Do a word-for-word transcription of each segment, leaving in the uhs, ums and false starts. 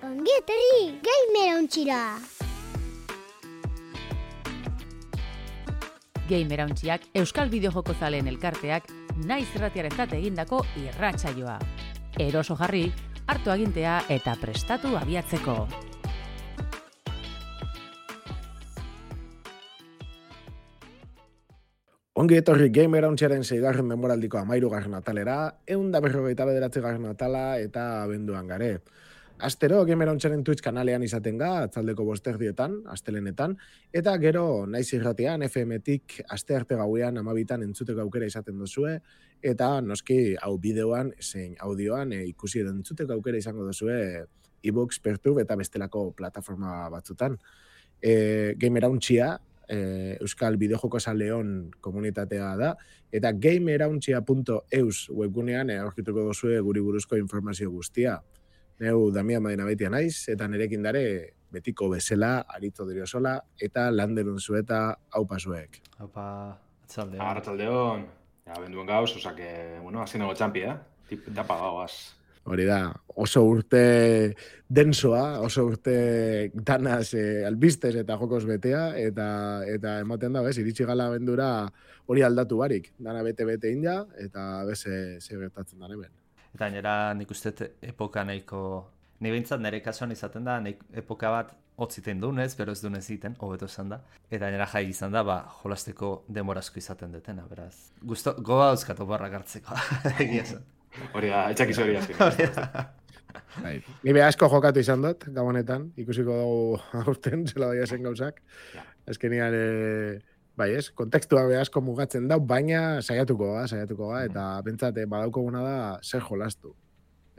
Ongi etorri Gamerauntxira. Gamerauntxiak Euskal Bideojoko zaleen elkarteak naiz irratiarentzat egindako irratsaioa. Eroso jarri, hartu agintea eta prestatu abiatzeko. Ongi etorri Gamerauntxiaren seigarren denboraldiko hamahirugarren atalera, ehun eta berrogeita bederatzigarren atala eta abenduan gare. Astero Gamerauntxiaren Twitch kanalean izaten ga, atzaldeko bosterdietan, astelenetan, eta gero naiz irratian F M-tik astearte gauean amabitan entzuteko aukera izaten duzue, eta noski hau bideoan, zein audioan e, ikusi edo entzuteko aukera izango duzue iVoox, Pertube eta bestelako plataforma batzutan. E, Gamerauntxia, e, Euskal Bideojoko zaleon komunitatea da, eta gamerauntxia punto eus webgunean e, aurkituko duzue guri buruzko informazio guztia. Neu Damian Madina Baitia naiz, eta nerekin dare betiko bezala, Arito Diriosola, eta Landerun zueta haupa zuek. Haupa, atzaldeon. Arratzaldeon. Ja, benduen gauz, osake, bueno, azken nago txampi, eh? Tip, tapa gauaz. Hori da, oso urte densoa, oso urte danaz eh, albistez eta jokos betea, eta eta ematen da, bez, iritsi gala bendura hori aldatu barik. Dana bete-bete inda, eta bez, ze gertatzen da hemen. Eta nera nik uste epoka nahiko, ni behintzat nire kasuan izaten da, nik epoka bat hotziten dunez, bero ez dunez egiten, hobeto esan da. Eta nera jai izan da, ba, jolasteko demorazko izaten detena, beraz. Gusto, goba dauzkatu barrak hartzeko, egia zen. Hori da, etxakiz hori azken. Ni be asko jokatu izan dut, gabonetan, ikusiko dugu aurten, zela daia zen gauzak. Azkenian, e, bai ez, kontekstua be asko mugatzen dau, baina saiatuko ga, saiatuko ga, eta bentsate badaukoguna da zer jolastu.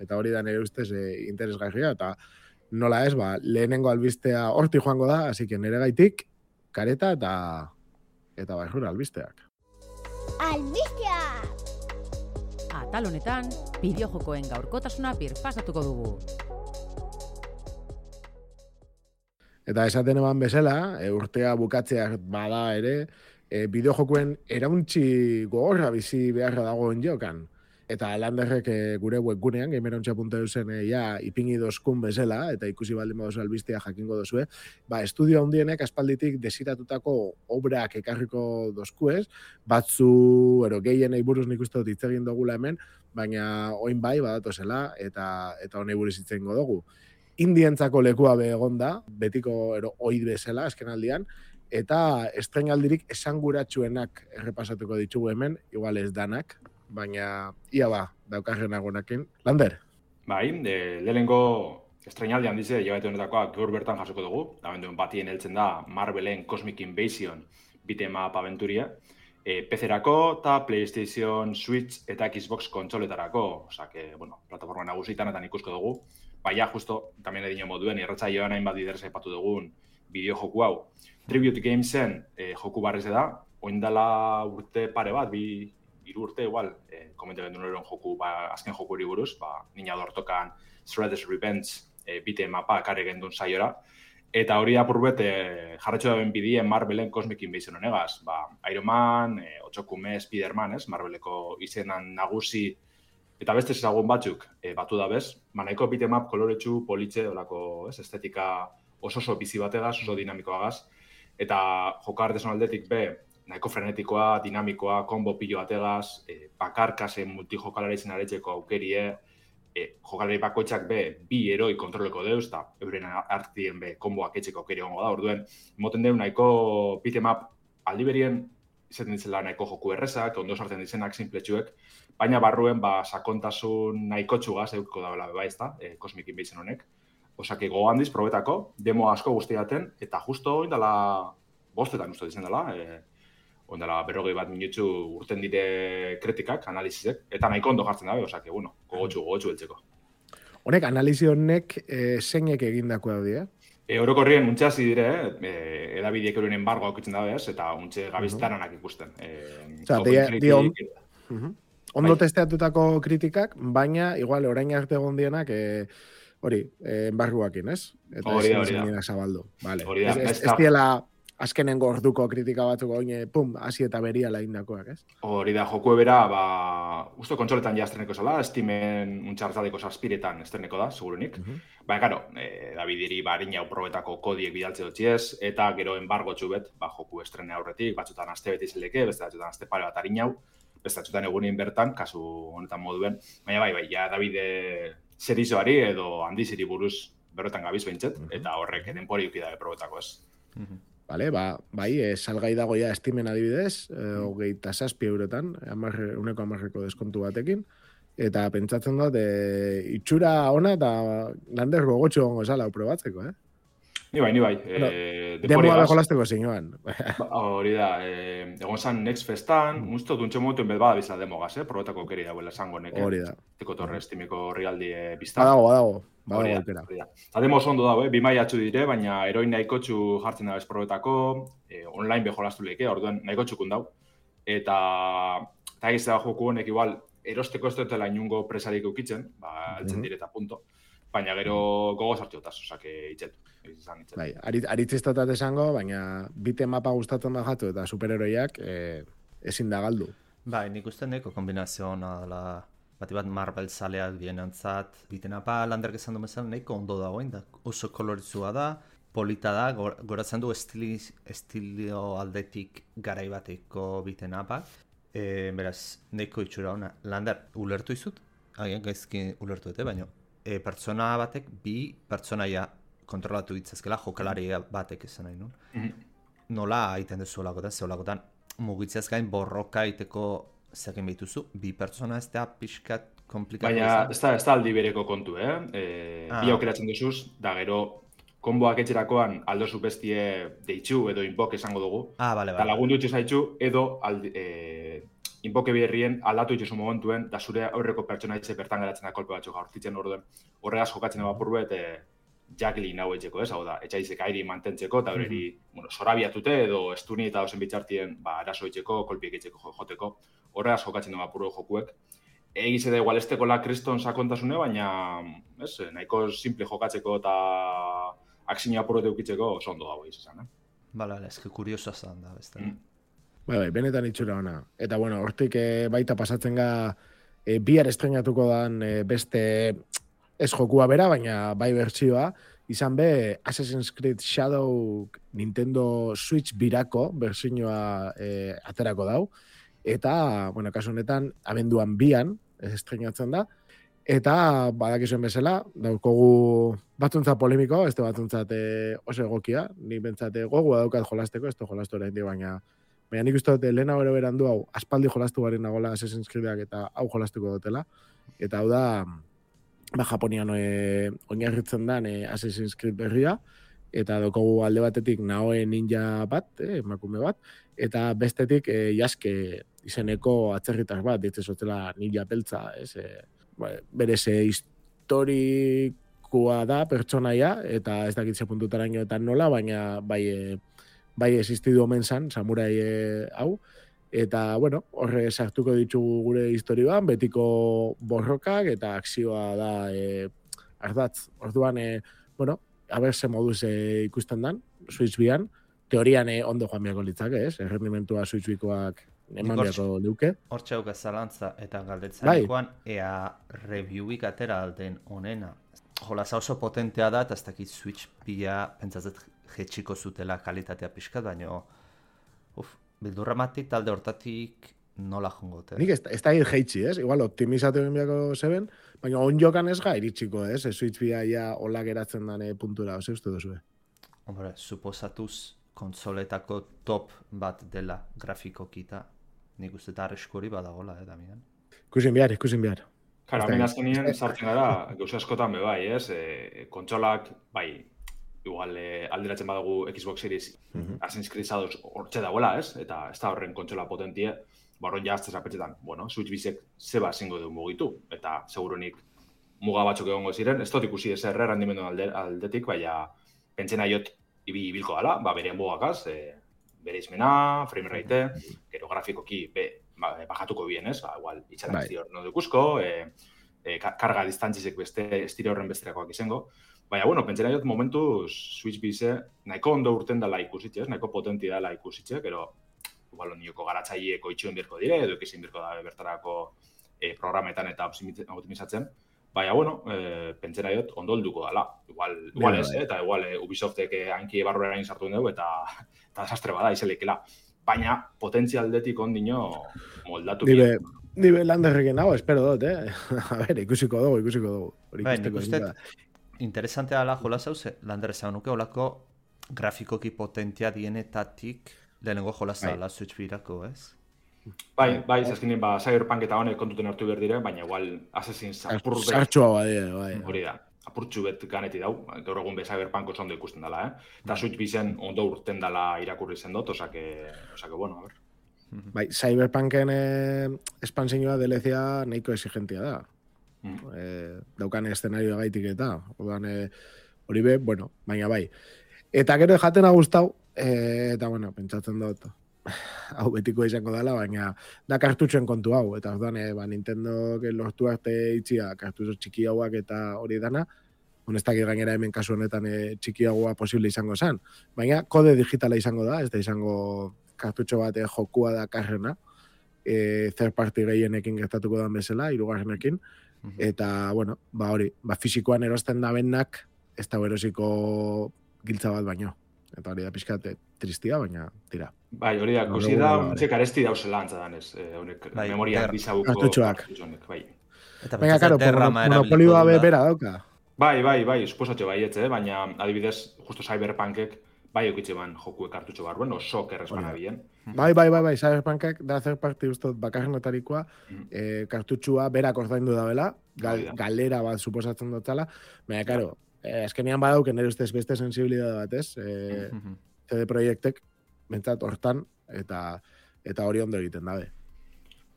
Eta hori da nire ustez e, interesgarria, eta nola ez, ba, lehenengo albistea horti joango da, hasi que nire gaitik, kareta eta eta baixura albisteak. Albistea! Atal honetan, bideojokoen gaurkotasuna birpasatuko dugu. Eta esaten eban bezala, e, urtea bukatzeak bada ere, e, bideojokoen erauntzi gogorra bizi beharra dagoen jokan. Eta Landerrek e, gure webgunean, gamerauntxia punto eusen e, ja ipingi dozkun bezala, eta ikusi baldin baduzu albistea jakingo dozue, ba, estudio handienek aspalditik desiratutako obrak ekarriko dozkuez, batzu, ero gehienei buruz nik uste dut hitz egin dugula hemen, baina oin bai badatozela, eta eta honei buruz hitz egingo dugu. Indientzako lekua be egonda, betiko ero oid bezala, azken aldian, eta estrenaldirik esanguratsuenak errepasatuko ditugu hemen, igual ez danak, baina ia ba, daukarren agonakin. Lander? Bai, de, lehenengo estrenaldian dize, jabete honetakoa gaur bertan jasoko dugu, abenduen batien heltzen da Marvelen Cosmic Invasion beat'em-up aventuria, e, P C-erako eta PlayStation, Switch eta Xbox kontsoletarako, osake, bueno, plataforma nagusitan eta ikusko dugu. Baina, justo, tamien edino moduen, irratsaioan hainbat biderz aipatu dugun bideo joku hau. Tribute Gamesen e, joku barrez da, oindala urte pare bat, bi, hiru urte igual, e, komente gendu noren joku, ba, azken joku hori buruz, ba, nina dortokan Shredder's Revenge e, beat'em-upa karri gendun saiora. Eta hori apurbet, e, jarretxo da ben bidien Marvelen Cosmic Invasion honegaz. Ba, Iron Man, e, Otsokume, Spider-Man, ez? Marveleko izenan nagusi, eta beste ezagun batzuk e, batu da bez, ba, nahiko beat'em-up koloretsu, politxe, olako, ez, estetika oso oso bizi bategaz, oso dinamikoagaz, eta joka artesan aldetik be, nahiko frenetikoa, dinamikoa, kombo pilo bategaz, e, bakarkasen multijokalare izan aretxeko aukerie, e, jokalari bakoitzak be, bi heroi kontroleko deuz, eta euren artien be, komboak etxeko aukeri gongo da, orduen, moten deu nahiko beat'em-up aldiberien, izaten ditzela nahiko joku errezak, ondo sartzen dizenak sinpletxuek, baina barruen ba, sakontasun nahiko txugaz euko da bela beba ezta, e, Cosmic Invasion honek. Osake go handiz, probetako, demo asko guztiaten, eta justo oindala bostetan uste dizen dela, e, oindala berrogei bat minutzu urten dire kritikak, analizizek, eta nahiko ondo jartzen dabe, osake, bueno, gogotxu, gogotxu eltzeko. Honek, analizi honek e, zeinek egindako daudi, eh? E, orokorrien untxe hasi dire, e, edabideek euren embargo aukitzen dabe, eta untxe gabiztaranak ikusten. E, Osa, di on, ondo testeatutako kritikak, baina, igual, orain arte egon dienak, e, hori, e, embargoakin, ez? Eta hori da, hori da. Zabaldu. Vale. Hori da, ez, ez, ez diela azkenengo orduko kritika batzuk oine, pum, hasi eta beria indakoak, ez? Hori da, joku ebera, ba, uste kontsoletan ja estreneko zala, Steamen untxartaldeko zazpiretan estreneko da, segurunik. Uh -huh. Baina, karo, e, Davidiri ba, harina probetako kodiek bidaltze dutxiez, eta gero enbargo txubet, ba, joku estrene aurretik, batzutan aste beti zeleke, beste batzutan aste pare bat harinau, beste batzutan egunin bertan, kasu honetan moduen. Baina, bai, bai, ja, Davide serizoari edo handiziri buruz berrotan gabiz behintzet, uh -huh. eta horrek denpori ukidabe probetako ez. Uh -huh. Vale, ba, bai, e, salgai dago ja Steamen adibidez, e, hogeita zazpi eurotan, amarre, uneko amarreko deskontu batekin, eta pentsatzen dut, e, itxura ona eta lander gogotxo gongo esala probatzeko, eh? Ni bai, ni bai. Bueno, e, Demoa bejolazteko zinuan. Hori da, e, egon zan Next Festan, mm. usto duntxe momentu enbet bada bizala demogaz, eh? Probetako keri dagoela esango neke. Hori da. Tiko torre Steameko horrialdi e, biztan. Badago, badago. Badago aukera. Eta demo ondo dago, eh? Bi maiatxu dire, baina eroin nahikotxu jartzen da bez probetako, e, online bejolaztu leke, orduan nahikotxukun dau. Eta, eta egiz da joku honek igual, erosteko ez dutela inungo presarik eukitzen, ba, altzen mm -hmm. direta punto. Baina gero gogo sartu otaz, osake itxetu. Bai, aritzistotat esango, baina bite mapa gustatzen da jatu eta superheroiak eh, ezin da galdu. Bai, nik uste neko kombinazio hona dela, bati bat Marvel zaleak bienantzat, biten apa landerk esan du bezala nahiko ondo dagoen, da oso kolorizua da, polita da, goratzen du estili, estilio aldetik garai bateko biten apa. E, beraz, nahiko itxura hona, lander ulertu izut, agian gaizki ulertu dute, baina e, pertsona batek bi pertsonaia kontrolatu ditzazkela, jokalari batek esan nahi nun. Mm-hmm. Nola aiten dezu olakotan, ze olakotan mugitzeaz gain borroka iteko zekin behituzu, bi pertsona ez da pixkat komplikatu. Baina ez da, ez da aldi bereko kontu, eh? E, ah. Bi aukeratzen duzuz, da gero konboak etxerakoan aldozu bestie deitxu edo inbok esango dugu. Ah, bale, bale. Eta lagundu itxu zaitxu edo aldi, e, inboke berrien aldatu itxuzu momentuen, da zure aurreko pertsona itxe bertan geratzen da kolpe batzu jaurtitzen orduen. Horregaz jokatzen eba purruet, e, Jacqueline hau etxeko, ez? Hau da, etxaizek airi mantentzeko, eta horreri, mm-hmm. bueno, sorabiatute edo estuni eta osen bitxartien, ba, eraso etxeko, kolpiek etxeko joteko. Horregaz jokatzen eba purru jokuek. Egiz edo igual esteko la kriston sakontasune, baina, ez, nahiko simple jokatzeko eta aksinio apurrote ukitzeko oso ondo dago izan, eh? Bala, bala, eske kuriosoa zan da, beste. Mm. Bai, bai, benetan itxura ona. Eta, bueno, hortik e, baita pasatzen ga e, bihar estrenatuko dan e, beste ez jokua bera, baina bai bertsioa, izan be Assassin's Creed Shadow Nintendo Switch birako bertsioa e, aterako dau. Eta, bueno, kasu honetan, abenduan bian estrenatzen da. Eta, badakizuen bezala, daukogu batzuntzat polemiko, ez da batzuntzat e, oso egokia, ni bentsate gogua daukat jolasteko, ez da jolastu oraindik, baina baina nik uste dut lehena bero berandu hau, aspaldi jolastu garen nagola Assassin's Creedak eta hau jolastuko dutela. Eta hau da, ba, Japonian e, oinarritzen dan e, Assassin's Creed berria, eta daukogu alde batetik Naoe ninja bat, eh, emakume bat, eta bestetik e, Jaske izeneko atzerritar bat, ditzen zotela ninja beltza, ez, e, berez historikoa da pertsonaia, eta ez dakitze puntutaraino eta nola, baina bai, e, bai existidu omen zan, samurai e, hau, eta, bueno, horre sartuko ditugu gure historioan, betiko borrokak, eta akzioa da e, ardatz. Orduan, e, bueno, haber ze moduz e, ikusten dan, Switch bian, teorian e, ondo joan biako litzake, ez? Errendimentua Switch bikoak eman biako duke. Hortxe hauka zalantza eta galdetzarekoan, bai. Ea reviewik atera alden onena. Jolaza oso potentea da, eta ez dakit Switch bia pentsatzet jetxiko zutela kalitatea pixkat, baina uf, bildurramatik talde hortatik nola jongote. Nik ez, ez da hir jeitsi, ez? Igual optimizatu egin biako zeben, baina onjokan ez ga iritsiko, ez? Switch bia ja hola geratzen dane puntura, ose uste duzu, eh? Hombre, suposatuz konsoletako top bat dela grafikokita, nik uste eta arreskori badagola, eh, Damian? Ikusin behar, ikusin behar. Kara, hemen azkenien sartzen gara, gauza askotan be bai, ez? E, kontsolak, bai, igual e, alderatzen badagu Xbox Series uh-huh. Assassin's Creed Shadows hortxe dagoela, ez? Eta ez da horren kontsola potentie, barron jaztez apetxetan, bueno, Switch bizek zeba zingo du mugitu, eta segurunik muga batzuk egongo ziren, ez dut ikusi ez erre rendimendu alde, aldetik, baina pentsena jot ibi ibilko gala, ba, bere mugakaz, e, bere izmena, frame rate, gero grafikoki be, ba, bajatuko bien, ez? Ba, igual, itxaran ez dior no dukuzko, e, e, karga distantzizek beste estire horren besterakoak izango. Baina, bueno, pentsera jot momentuz Switch bize nahiko ondo urten dela ikusitxe, nahiko potenti dela ikusitxe, pero igual nioko garatzaileeko itxuen birko dire, edo ekizin birko da bertarako e, programetan eta optimizatzen. Baina, bueno, e, pentsera jot ondo helduko dela. Igual, igual ez, eh? Eta igual e, Ubisoftek hanki barruera egin sartu dugu eta, eta desastre bada izelekela. Baina, potentzialdetik ondino moldatu. Dibe, dibe landerrekin hau, espero dut, eh? A ber, ikusiko dugu, ikusiko dugu. Bai, nik uste interesantea dela jola zauze, lander esan nuke olako grafikoki potentia dienetatik lehenengo jolaza dela Switch birako, ez? Bai, bai, zazkinen, ba, Cyberpunk eta honek kontuten hartu behar dire, baina igual Assassin's apur bet... Sartxua badie, bai. Hori da, apurtxu bet ganeti dau, gaur egun be Cyberpunk oso ondo ikusten dela, eh? Eta Switch bizen ondo urten dela irakurri zen dut, osake, osake, bueno, a ver. Bai, Cyberpunken eh, espansioa D L C-a nahiko exigentia da. Mm. Eh, daukan eszenario gaitik eta orduan eh, hori be, bueno, baina bai. Eta gero jatena gustau, eh, eta bueno, pentsatzen dut hau betiko izango dela, baina da kartutxoen kontu hau, eta orduan eh, ba, Nintendo lortu arte itxia kartutxo txiki hauak eta hori dana, honestak gainera hemen kasu honetan eh, txiki haua posible izango zen, baina kode digitala izango da, ez da izango kartutxo bat eh, jokua da karrena, eh, third party gehienekin gertatuko dan bezala, hirugarrenekin. Eta, bueno, ba hori, ba fisikoan erosten da bennak, ez da erosiko giltza bat baino. Eta hori da pixkat tristia, baina tira. Bai, hori da, kusi da, txek aresti dauzela antza danez, honek, bai, memoria bizabuko kartutxoak. Bai. Baina, karo, monopolioa bera dauka. Bai, bai, bai, suposatxe baietze, baina adibidez, justo Cyberpunkek, bai eukitxe ban joku kartutxo barruen, oso kerrezpana bien. Bai, bai, bai, bai, Cyberpunkek da zer parte ustot bakarrenetarikoa, mm. eh, kartutxua berak ordaindu da bela, gal, galera bat suposatzen dutela, baina, karo, eh, azkenean badauken nire ustez beste sensibilidade bat, ez? Eh, mm-hmm. C D Projektek, bentsat, hortan, eta eta hori ondo egiten dabe.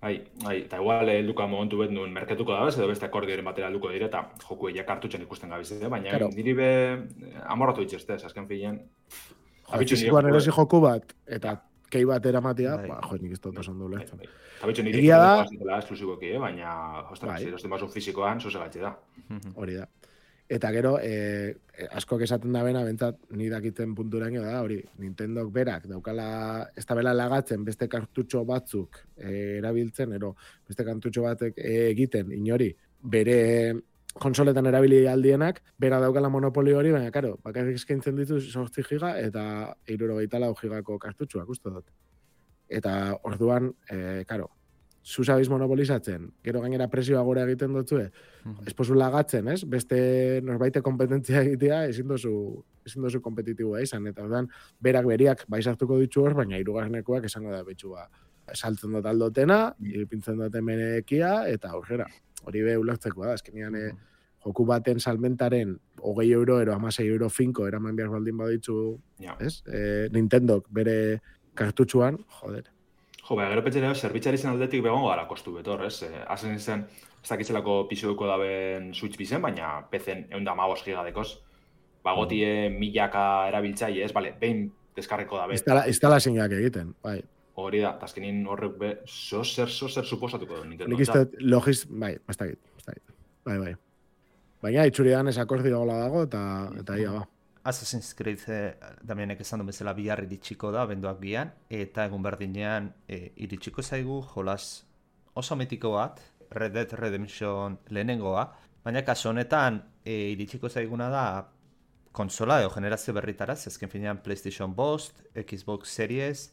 Bai, bai, eta igual helduka momentu bet nuen merketuko da bez, edo beste akordioren batera helduko dire, eta joku eia kartutxen ikusten gabiz, baina claro. Niri be amorratu itxestez, azken filen. Fizikoan erosi joku bat, eta kei bat eramatea, ba, jo, nik ez dut oso ondo ulertzen. Egia da... Egia da... Esklusiboki, baina, ostras, erosten basu fizikoan, zoze gatxe da. Hori da. Eta gero, eh, askok esaten da bena, bentsat, ni dakiten punturaino da, hori, Nintendok berak, daukala, ez da bela lagatzen, beste kartutxo batzuk eh, erabiltzen, ero, beste kartutxo batek eh, egiten, inori, bere konsoletan erabili aldienak, bera daukala monopoli hori, baina, karo, bakarrik eskaintzen ditu zortzi giga, eta hirurogeita lau gigako kartutxoak, uste dut. Eta orduan, eh, karo, zuzabiz monopolizatzen, gero gainera presioa gora egiten dutzue, mm-hmm. esposu lagatzen, ez? Beste norbaite kompetentzia egitea, ezin dozu, ezin dozu kompetitiboa izan, eta orduan, berak beriak baizartuko ditu hor, baina hirugarrenekoak esango da betxua. Saltzen dut aldotena, irpintzen dut emenekia, eta aurrera. Hori be ulertzeko da, azkenean mm-hmm. joku baten salmentaren hogei euro, ero amasei euro finko, eraman behar baldin baditzu, yeah. ez? E, Nintendok bere kartutxuan, joder. Jo, baina gero petxera, zerbitzari zen aldetik begongo gara kostu betor, ez? Hazen zen, ez dakitzelako pixueko daben Switch bizen, baina P C-en egun da magos gigadekoz. Bagotie mm. milaka erabiltzai, ez? Bale, behin deskarreko dabe. Instalazioak egiten, bai. Hori da, tazkenin horrek be, zozer, zozer suposatuko du Nintendo. Nik izte, logiz, bai, ez dakit, ez dakit. Bai, bai. Baina, itxuridan ez akordio gola dago, eta, eta ia, ba. Assassin's Creed eh, damienek esan du bezala bihar iritsiko da, benduak bian, eta egun berdinean e, iritsiko zaigu jolas oso mitiko bat, Red Dead Redemption lehenengoa, baina kaso honetan e, iritsiko zaiguna da konsola edo generazio berritaraz, ezken finean PlayStation bost, Xbox Series,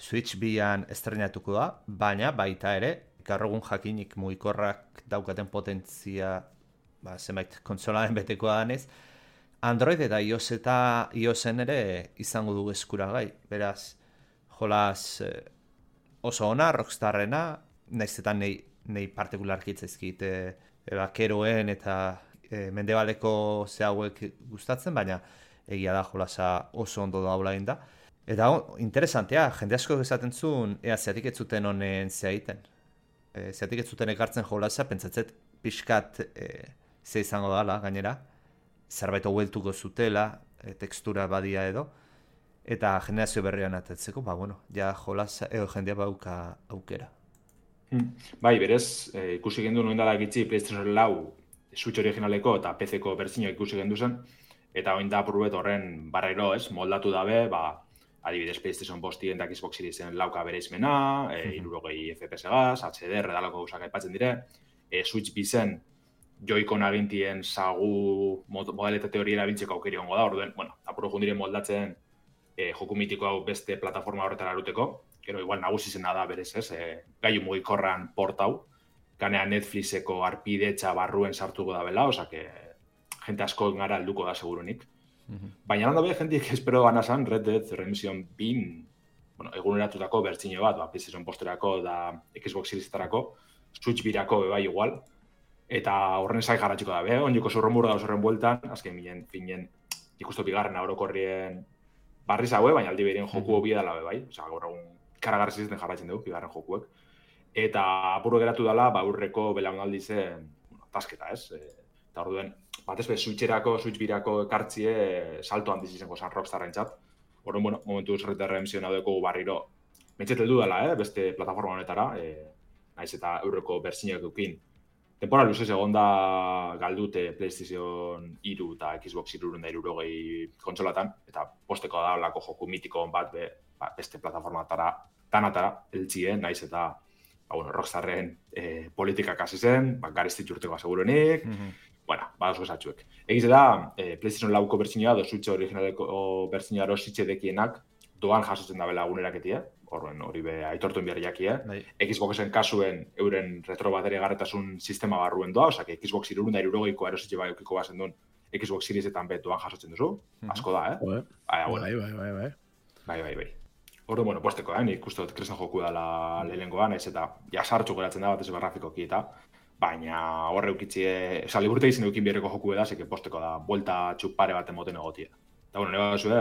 Switch bian estrenatuko da, baina baita ere, gaur egun jakinik mugikorrak daukaten potentzia, ba, zenbait konsolaren betekoa danez, Android eta iOS eta iOSen ere izango du eskuragai. Beraz, jolas eh, oso ona, Rockstarrena, naiz eta nei, nei partikularki itzaizkit eh, bakeroen eta eh, mendebaleko ze hauek gustatzen, baina egia da jolasa oso ondo daula egin da. Eta oh, interesantea, jende asko esaten zuen, ea zeatik ez zuten honen zea egiten. E, zeatik ez zuten ekartzen jolasa, pentsatzet pixkat e, ze izango dala gainera. Zerbait haueltuko zutela, e, tekstura badia edo, eta generazio berrian atetzeko, ba, bueno, ja jolasa, edo jendea bauka aukera. Bai, berez, eh, ikusi gendu noin dala gitzi PlayStation lau Switch originaleko eta P C-ko bertsioa ikusi gendu zen, eta oin da purbet horren barrero, ez, moldatu dabe, ba, adibidez PlayStation bostien eta Xbox Seriesen lauka bere izmena, e, irurogei F P S gaz, H D R edalako gauzak aipatzen dire, e, Switch bizen joikon agintien sagu modalitate hori erabiltzeko aukeri ongo da, orduen, bueno, apuro jundiren moldatzen e, joku mitiko hau beste plataforma horretara aruteko, gero igual nagusi zena da berez, ez, e, gaiu mugikorran port hau, ganea Netflixeko arpidetxa barruen sartuko da bela, oza que jente asko gara alduko da segurunik. Mm-hmm. Baina landa be, jentik espero gana zan Red Dead Redemption bin, bueno, eguneratutako bertzino bat, ba, PlayStation posterako da Xbox Seriesetarako, Switch birako bebai igual, eta horren zai jarratxiko da, be, onjoko zurromur da horren bueltan, azken minen, finen, ikusto bigarren orokorrien barri zaue, baina aldi berien joku hobi dela bebai, oza, gaur egun karagarri zizten jarratzen dugu, bigarren jokuek. Eta apuro geratu dela, ba, urreko belaunaldi zen, bueno, tasketa, ez? E, eta orduen, batez be, Switcherako, Switch birako ekartzie e, salto handiz izango zan Rockstarren txat. Horren, bueno, momentu Red Dead Redemption hau barriro, mentxet heldu dela, eh? Beste plataforma honetara, e, naiz eta eurreko bertsinak eukin. Tempora luzez egon da galdute PlayStation hiru eta Xbox hirurehun eta hirurogei kontsolatan, eta posteko da olako joku mitiko bat be, ba, beste plataformatara, tanatara, eltzie, naiz eta ba, bueno, Rockstarren eh, politikak hasi zen, ba, gariztit urteko asegurenik, mm-hmm. bueno, badauz gozatxuek. Egiz da, eh, PlayStation lauko bertsinua, do Switch originaleko bertsinua erositxe dekienak, doan jasotzen da bela aguneraketia, horren hori be aitortuen behar jakia. Bai. Xboxen kasuen euren retrobateria garretasun sistema barruen doa, osea, Xbox hirurehun eta hirurogeiko erositxe bai eukiko bazen duen Xbox Seriesetan be doan jasotzen duzu, mm-hmm. asko da, eh? Bai, bai, bai, bai, bai. Bai, bai, bai. Horren, bueno, posteko, eh? Nik uste dut kresen joku dela lehenengoa, naiz eta jasartxu geratzen da bat ez grafikoki eta baina horre eukitzie, esan liburte izan eukin bierreko joku da, zeke posteko da, buelta txupare bat emoten egotia. Eta, bueno, nire zue,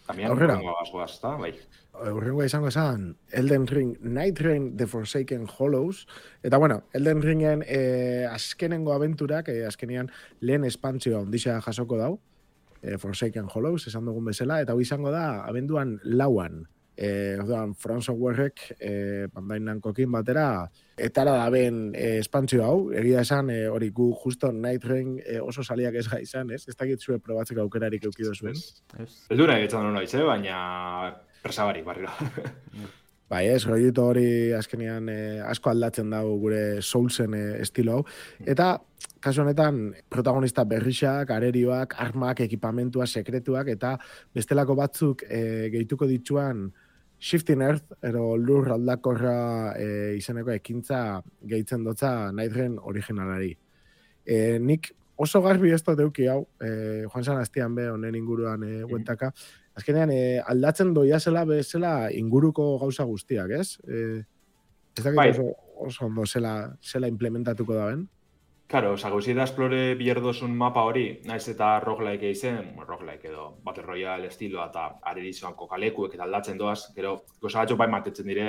también, horrengoa askoaz, eta, bai. Horrengoa izango esan, Elden Ring, Night Rain, The Forsaken Hollows, eta, bueno, Elden Ringen eh, azkenengo abenturak, eh, azkenean lehen espantzioa ondisa jasoko dau, eh, Forsaken Hollows, esan dugun bezala, eta hau izango da, abenduan lauan, Eh, orduan, From Softwarek eh, Bandai Namcokin batera etara da ben eh, espantzio hau, egia esan eh, hori gu justo Night Rain eh, oso saliak ez gai izan, ez? Ez dakit zue probatzeko aukerarik eukido zuen. Ez du nahi etzan noiz, eh? Baina presabarik barriro. Bai ez, rollito hori azkenean eh, asko aldatzen dago gure Soulsen eh, estilo hau. Eta kasu honetan protagonista berrixak, arerioak, armak, ekipamentua, sekretuak eta bestelako batzuk eh, gehituko dituan Shifting Earth, ero lur aldakorra e, izeneko ekintza gehitzen dotza Night Rain originalari. E, nik oso garbi ez dut euki hau, e, Juan San Astian be honen inguruan e, buentaka, azkenean e, aldatzen doia zela bezala inguruko gauza guztiak, ez? E, ez dakit bai. oso, oso ondo zela, zela implementatuko da ben? Claro, oza, gauzi da esplore bierdozun mapa hori, naiz eta roguelike eizen, bueno, roguelike edo Battle Royale estiloa eta aredizoan kokalekuek eta aldatzen doaz, gero, goza batxo bai mantetzen dire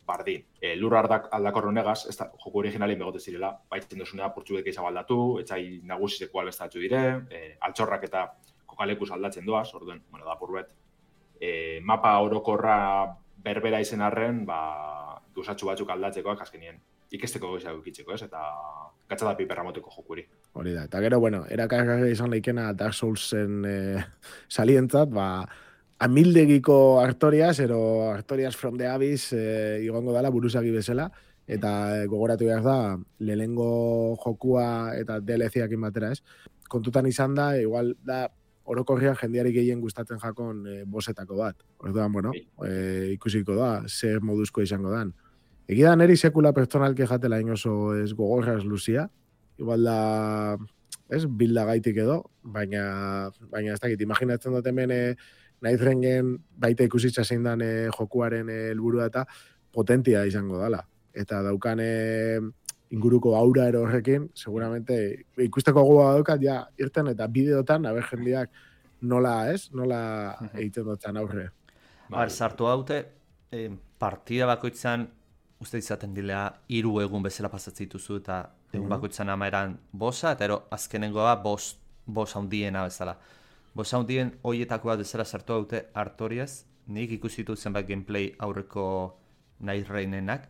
bardin. E, lur aldak, aldakor honegaz, ez da, joku originalin begote zirela, baitzen dozunea portxuek eizago aldatu, etxai nagusizeko albestatxu dire, e, altxorrak eta kokalekuz aldatzen doaz, orduen, bueno, da purbet, e, mapa orokorra berbera izen arren, ba, gozatxu batzuk aldatzekoak azkenien. Ikesteko goizak ukitzeko, ez? Eta gatzada piperra moteko jokuri. Hori da. Eta gero, bueno, erakargarri izan leikena Dark Soulsen eh, salientzat, ba, amildegiko Artorias, ero Artorias from the Abyss eh, igongo dala buruzagi bezala, eta eh, gogoratu behar da, lehenengo jokua eta D L C-akin batera, ez? Kontutan izan da, igual da, orokorrian jendeari gehien gustatzen jakon eh, bosetako bat. Orduan, bueno, eh, ikusiko da, zer moduzko izango dan. Egia da neri sekula pertsonalki jatela inoso ez gogorraz luzia. Igual da, ez, bilda gaitik edo, baina, baina ez dakit, imaginatzen dut hemen eh, Night Rainen baita ikusitza zein dan eh, jokuaren helburua eta potentia izango dala. Eta daukan eh, inguruko aura ero horrekin, seguramente ikusteko gogoa daukat, ja, irten eta bideotan, haber jendeak nola, ez, nola egiten dutzen aurre. Ba, sartu haute, eh, partida bakoitzan uste izaten dilea hiru egun bezala pasatzen dituzu eta egun bakoitzan amaeran bosa, eta ero azkenengoa bos, bos handiena bezala. Bos handien hoietako bat bezala sartu haute Artorias, nik ikusitu zenbait gameplay aurreko Night Rainenak,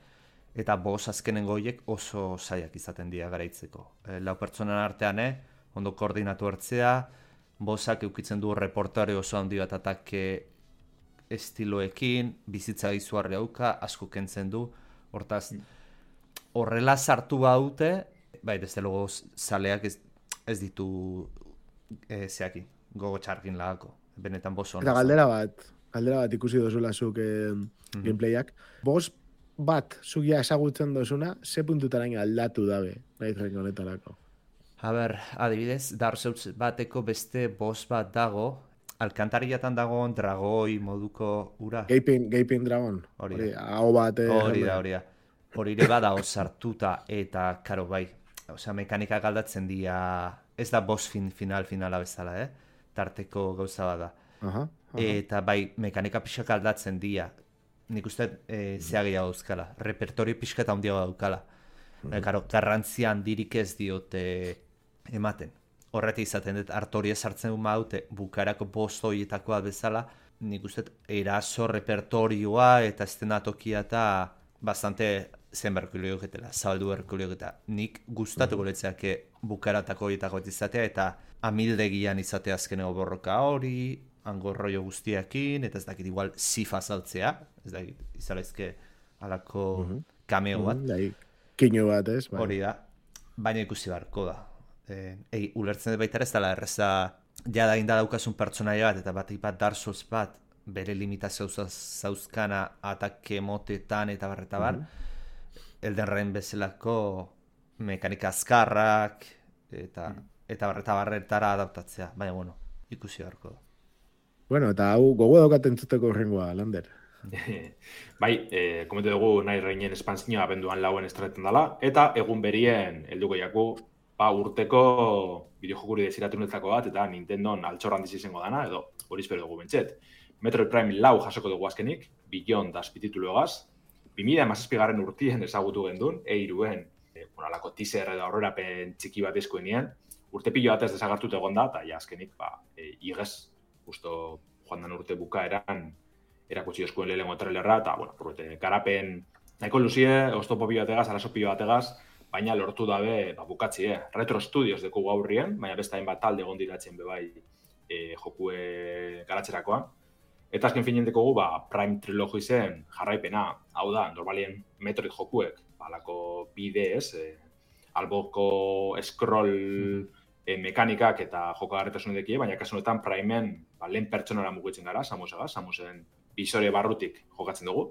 eta boss azkenengo horiek oso zaiak izaten dira garaitzeko. E, lau pertsonan artean, eh, ondo koordinatu hartzea, bossak eukitzen du reportare oso handi bat atake estiloekin, bizitza izuarri hauka, asko kentzen du, hortaz, horrela sartu baute, bai, desde luego, zaleak ez, ez ditu e, zeaki, gogo txarkin lagako, benetan boso. Eta galdera bat, galdera bat ikusi dozula zuk eh, mm-hmm. gameplayak. Boss bat zugia ezagutzen dozuna, ze puntutaraino aldatu dabe, nahi zaren honetarako. A ber, adibidez, Dark Souls bateko beste boss bat dago, alkantarillatan dago dragoi moduko ura. Gaping, Gaping Dragon. Hori da. Hau bat. Hori da, hori da. Hori ere bada osartuta eta, karo, bai, osea, mekanika galdatzen dira, ez da boss fin, final finala bezala, eh? Tarteko gauza bada. Aha, aha. Eta bai, mekanika pixka aldatzen dira. Nik uste e, zeagia dauzkala, repertorio pixka eta handia daukala. Mm. E, karo, garrantzia handirik ez diote ematen. Horretik izaten dut, artoria sartzen maute, bukarako bost horietakoa bezala, nik uste eraso repertorioa eta estenatokia eta bastante zen berkulio getela, zabaldu berkulio getela. Nik gustatuko letzeake bukaratako horietako izatea eta amildegian izatea azkeneko borroka hori, angorroio guztiakin, eta ez dakit igual zifa saltzea, ez dakit izalaizke alako mm-hmm. kameo bat. Mm-hmm, Kino bat ez. Bai. Hori da, baina ikusi barko da. Eh, ei, ulertzen dut baita ez dela erreza jada inda daukasun pertsonaia bat, eta bat ipat Dark Souls bat, bere limitazio zauzkana atake motetan eta barreta bar, mm-hmm. Elden Ring bezalako mekanika azkarrak eta, mm-hmm. eta barreta barretara adaptatzea, baina bueno, ikusi barko da. Bueno, eta hau gogo daukaten zuteko horrengoa, Lander. Bai, eh, komente dugu nahi reinen espantzioa abenduan lauen estraten dela, eta egun berien helduko jaku ba, urteko bideojokuri desiratunetako bat, eta Nintendon altxor handiz izango dana, edo hori espero dugu bentset. Metroid Prime lau jasoko dugu azkenik, Beyond azpititulu egaz, bi mila hamazazpigarren urtien ezagutu gendun, eiruen, e, bueno, alako teaser edo aurrerapen txiki bat eskuenean, urte pilo batez desagartut egon da, eta ja azkenik, ba, e, igez, justo joan dan urte bukaeran, erakutsi eskuen lehenengo trailerra, eta, bueno, purbete, garapen, nahiko luzie, oztopo pilo bategaz, arazo pilo bategaz, baina lortu dabe ba, bukatzi, eh? Retro Studios deku gaurrien, baina beste hainbat talde egon diratzen bebai e, jokue garatzerakoan. Eta azken finen dekogu, ba, Prime Trilogy zen jarraipena, hau da, normalien Metroid jokuek, balako bidez, e, alboko scroll e, mekanikak eta joko garretasun edekie, baina kasu honetan Primeen ba, lehen pertsonara mugitzen gara, Samusega, Samusen bisore barrutik jokatzen dugu.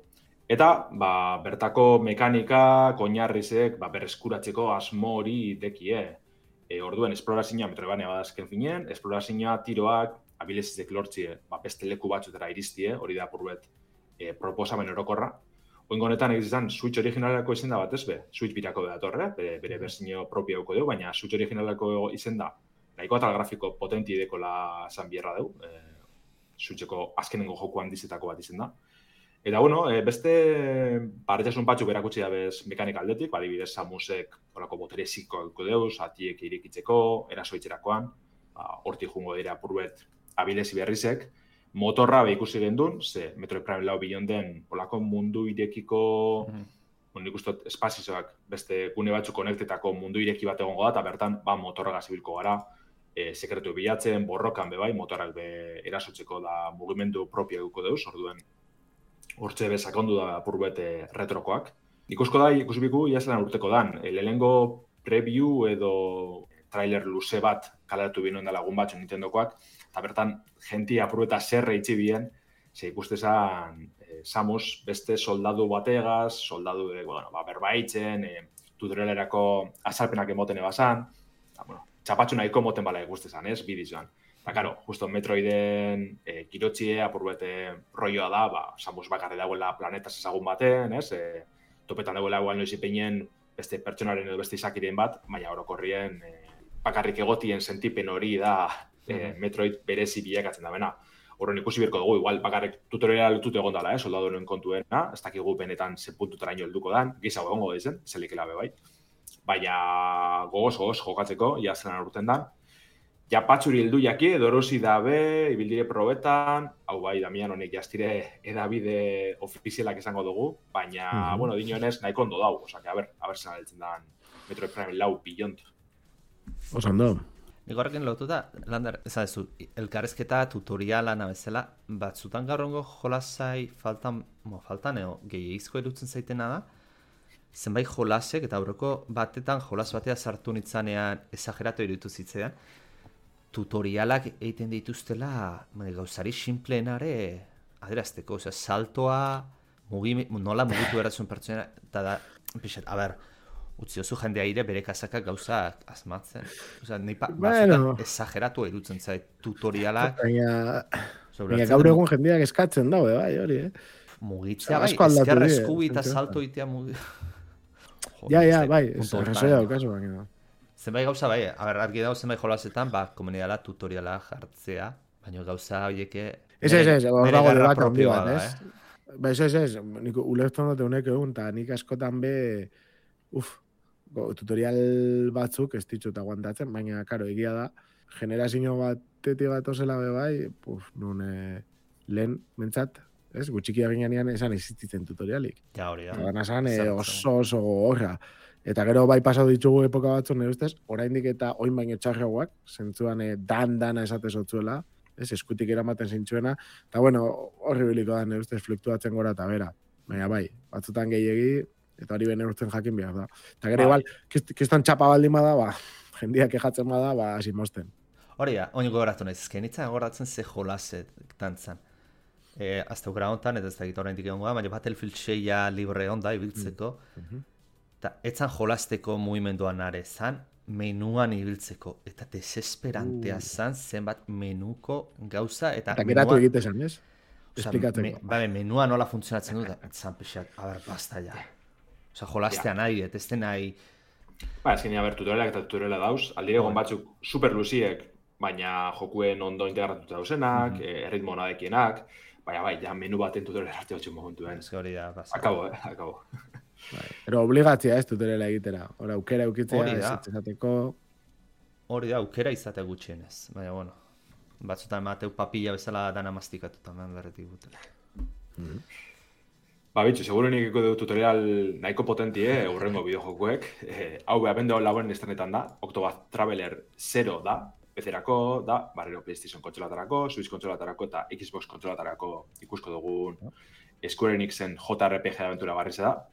Eta, ba, bertako mekanika, oinarrizek, ba, berreskuratzeko asmo hori dekie. E, orduen, esplorazioa Metroidvania badazken finen, esplorazioa tiroak, abilezizek lortzie, ba, beste leku batzutera iristie, hori da purbet e, proposamen orokorra. Oingo honetan egizizan, Switch originalako izen da bat ez be, Switch birako bedatorre, bere, bere berzio propio duko dugu, baina Switch originalako izen da, nahiko eta grafiko potenti dekola zan bierra dugu, e, Switcheko azkenengo jokuan dizetako bat izen da. Eta, bueno, e, beste barretasun batzuk berakutsi dabez mekanika aldetik, adibidez Samusek horako botere ziko duko deuz, atiek irekitzeko, erasoitzerakoan, ba, hortik jungo dira purbet abilezi berrizek, motorra be ikusi gendun, ze Metroid Prime lau Beyond-en olako mundu irekiko, mm-hmm. nik ustot espazizoak beste gune batzuk konektetako mundu ireki bat egongo da, eta bertan ba, motorra gazibilko gara, e, sekretu bilatzen, borrokan be bai, motorrak be erasotzeko da mugimendu propio duko deuz, orduen hortze bezakondu da purbet retrokoak. Ikusko da, ikusibiku, iazelan urteko dan. E, lehengo preview edo trailer luze bat kaleratu binoen da lagun batzu Nintendokoak, eta bertan jenti apurbeta zerre itxi bien, ze ikustezan e, Samus beste soldadu bategaz, soldadu de, bueno, ba, berbaitzen, e, tutorialerako azalpenak emoten ebazan, eta, bueno, txapatxu nahiko moten bala ikustezan, ez, bidizoan. Eta, karo, justo Metroiden e, girotxie, apurbete rolloa da, ba, Samus bakarri dagoela planetaz ezagun baten, ez? E, topetan dagoela egual noiz ipeinien beste pertsonaren edo beste izakiren bat, baina orokorrien e, bakarrik egotien sentipen hori da e, Metroid berezi bilakatzen da bena. Horren ikusi berko dugu, igual bakarrik tutoriala lutut egon dela, eh? Soldadu noen kontuena, ez dakigu benetan ze puntutara ino helduko dan, gizago egongo dizen, zelikela be bai. Baina gogoz, gogoz jokatzeko, ia zelan urten dan. ja patxuri heldu jaki, dorosi dabe, ibildire probetan, hau bai, Damian honek jaztire edabide ofizialak izango dugu, baina, mm-hmm. bueno, dinoenez nahiko ondo dau, osea, a ber, a ber zen altzen dan Metroid Prime lau bilont. Osando. Nik horrekin lotuta, Lander, ezan ez du, elkarrezketa tutorialan abezela, batzutan gaur ongo jolasai faltan, mo, faltan eo, gehiagizko erutzen zaitena da, zenbait jolasek, eta aurreko batetan jolas batea sartu nitzanean esageratu iruditu zitzean, tutorialak egiten dituztela gauzari simpleenare adierazteko, osea, saltoa, mugi, nola mugitu eratzen pertsona, eta da, pixat, a ber, utzi oso jendea ire bere kasakak gauzak asmatzen. Osea, nahi pa, bueno. Esageratu irutzen zait tutorialak. Baina, baina gaur egun jendeak eskatzen daude, bai, hori, eh? Mugitzea, bai, ezker eskubi eta salto itea mugi... Ja, ja, bai, resoia okazu, baina. Zenbait gauza, bai, a ber, argi dago zenbait jolasetan, ba, komunidala tutoriala jartzea, baina gauza horieke... Ez, ez, ez, hor dago debat handi bat, ez? Ba, ez, ez, ez, nik ulertzen dute honek egun, eta nik askotan be, uf, tutorial batzuk ez ditut aguantatzen, baina, karo, egia da, generazio batetik bat ozela be bai, puf, nun eh, lehen, mentzat, ez, gutxikia ginean esan existitzen tutorialik. Ja, hori da. Baina esan eh, oso oso horra. Eta gero bai pasau ditugu epoka batzu, nire ustez, oraindik eta oin baino txarragoak, zentzuan eh, dan-dana esate zotzuela, ez, eskutik eramaten zintzuena, eta bueno, horri biliko da, nire ustez, fluktuatzen gora eta bera. Baina bai, batzutan gehiegi, eta hori bene urtzen jakin behar da. Eta gero igual, kiston txapa baldin bada, ba, jendiak kejatzen bada, ba, hasi mosten. Hori da, oiniko goratu nahiz, ezken itzan goratzen ze jolaset tantzan. E, azte ukera hontan, eta ez da egita oraindik egon gara, baina Battlefield seia libre onda, ibiltzeko. Mm-hmm. Eta etzan jolasteko mugimenduan are zan, menuan ibiltzeko. Eta desesperantea uh. zan zenbat menuko gauza. Eta, eta geratu egite zan, ez? Esplikatzeko. Me, ba, menua nola funtzionatzen du, zan pixak, a ber, basta ja. Osa, jolaztea nahi, et ez nahi... Ba, ez genia, ber, tutorialak eta tutoriala dauz, aldire egon batzuk super luziek, baina jokuen ondo integratuta dauzenak, mm -hmm. erritmo nadekienak, baina bai, ja menu baten tutorial arte batxun momentuen. Ez hori da, basa. Akabo, eh, akabo. Pero obligatzea ez tutoriala egitera, hori aukera eukitzea, ez izateko... Hori da, aukera izatea gutxienez, baina, bueno, batzutan mateu papilla bezala dana mastikatuta, men berretik gutela. Mm -hmm. Ba, bitxu, seguro nik dugu tutorial nahiko potentie, urrengo bideojokuek. Eh, hau beha bende lauen estrenetan da, Octopath Traveler zero da, P C-erako, da, barrero PlayStation kontsolatarako, Switch kontsolatarako eta Xbox kontsolatarako ikusko dugun Square Enixen J R P G aventura barriz da.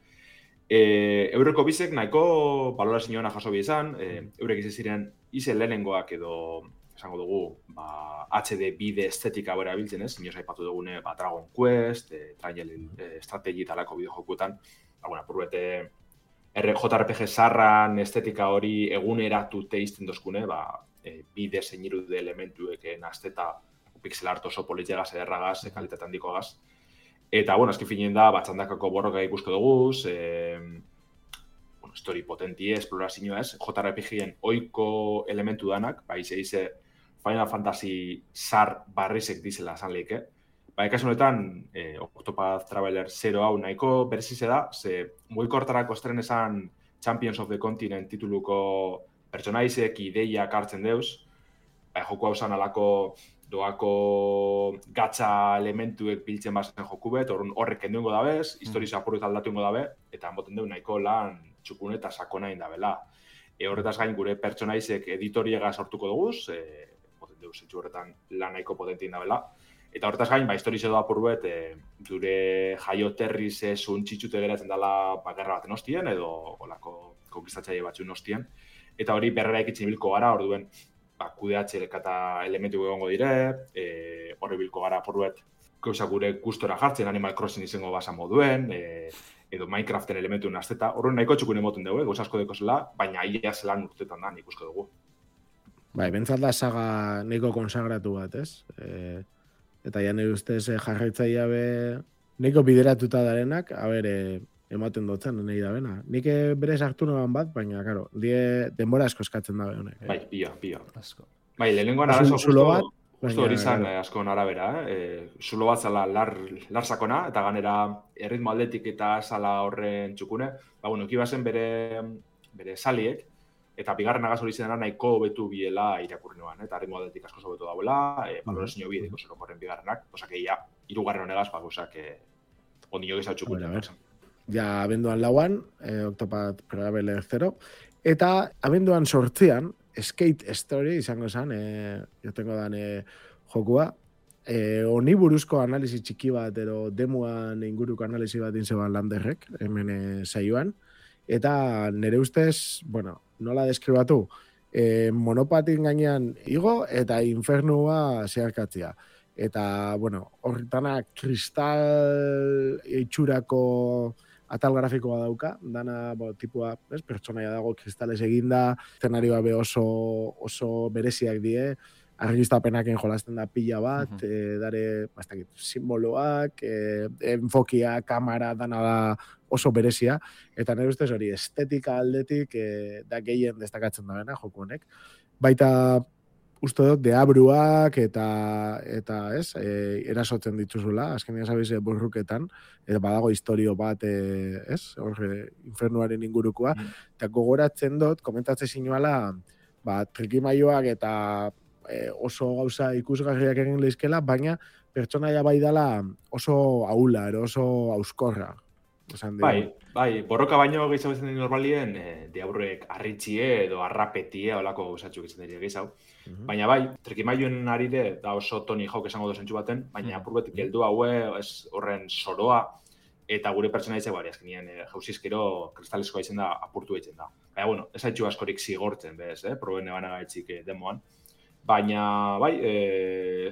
E, eureko bizek nahiko balorazioa jaso bi izan, e, eurek izan ziren izen lehenengoak edo esango dugu, ba, H D bide estetika bera biltzen ez, inoz aipatu dugune, ba, Dragon Quest, e, Triangle e, Strategy talako bideojokuetan, ba, bueno, purbete J R P G sarran estetika hori eguneratu teizten dozkune, ba, e, bide zeiniru de elementueken azteta pixel art oso politxegaz, ederragaz, e, kalitate handikoagaz. Eta, bueno, azken finien da, batxandakako borroka ikusko duguz, e, bueno, story potentie, esplorazioa ez, J R P G-en oiko elementu danak, ba, ize, ize, Final Fantasy zar barrizek dizela esan lehike. Ba, ekasun honetan, eh, Octopath Traveler zero hau nahiko berezize da, ze mugikortarako estren esan Champions of the Continent tituluko pertsonaizek ideiak hartzen deuz. Ba, joku hau zan alako doako gatza elementuek biltzen bazen joku bet, horrek endungo dabez, mm. historizo apurrik aldatuingo dabe, eta moten deu nahiko lan txukun eta sakona indabela. E, horretaz gain gure pertsonaizek editoriega sortuko duguz, e, moten zentsu horretan lan nahiko potentien dabela. Eta horretaz gain, ba, historizo da apur bet, e, dure jaioterriz esun txitxute geratzen dela bakarra baten ostien, edo olako konkistatzaile batzuen ostien. Eta hori berrera ikitzen bilko gara, orduen, ba, kudeatxerek eta elementu egongo dire, e, horri bilko gara apur bet, gauza gure gustora jartzen, Animal Crossing izango basa moduen, e, edo Minecraften elementu nazteta, horren nahiko txukun emoten dugu, gauza asko deko zela, baina ia zelan urtetan da, ikusko dugu. Bai, bentsat da saga nahiko konsagratu bat, ez? E, eta ja nire ustez e, jarraitzaia be nahiko bideratuta darenak, a ber, e, ematen dotzen, nahi da bena. Nik bere sartu noan bat, baina, karo, die denbora asko eskatzen da honek. Eh? Bai, pia, pia. Asko. Bai, lehenengoan arazo justo, justo hori zan asko arabera, eh? Zulo bat zala lar, lar sakona, eta ganera erritmo aldetik eta zala horren txukune. Ba, bueno, ekibazen bere, bere saliek, eta bigarren agaz hori izan nahiko hobetu biela irakurri noan, eta ritmo aldetik asko hobetu dauela, e, balorazio bi ediko zero korren bigarrenak, osake ja, hirugarren honegaz, ba, osak, e, ondino gizatxuk bueno, ja, abenduan lauan, e, Octopath Traveler zero, eta abenduan sortzean, Skate Story izango zen, e, jotengo dan e, jokua, e, honi buruzko analisi txiki bat, ero demuan inguruko analisi bat inzeban Landerrek, hemen e, saioan, eta nire ustez, bueno, nola deskribatu, e, monopatin gainean igo eta infernua zeharkatzea. Eta, bueno, horretana kristal itxurako atal grafikoa dauka, dana, bo, tipua, ez, pertsonaia dago kristales eginda, eszenarioa be oso, oso bereziak die, argiztapenaken jolasten da pila bat, uh-huh. e, dare, bastakit, simboloak, e, enfokia, kamera, dana da oso berezia, eta nire ustez hori estetika aldetik e, da gehien destakatzen da bena, joku honek. Baita, uste dut, deabruak eta, eta ez, e, erasotzen dituzula, azkenean sabiz, e, borruketan, eta badago historio bat, e, ez, horre, infernuaren ingurukoa, mm. eta gogoratzen dut, komentatzen zinuala, ba, trikimaioak eta e, oso gauza ikusgarriak egin lehizkela, baina pertsonaia bai dela oso ahula, ero oso auskorra. Bai, bai, borroka baino gehiago izan den normalien, e, diaburrek arritxie edo arrapetie, olako gauzatxuk izan dira gehiago. Uh-huh. Baina bai, trikimaioen arire, da oso Tony Hawk esango dozentxu baten, baina uh-huh. apurbetik heldu haue, ez horren soroa, eta gure pertsona ditzak bari, azkenien, e, jauzizkero kristaleskoa izan da apurtu egiten da. Baina, bueno, ez haitxu askorik zigortzen, bez, eh? Proben eban agaitzik e, demoan. Baina, bai, e,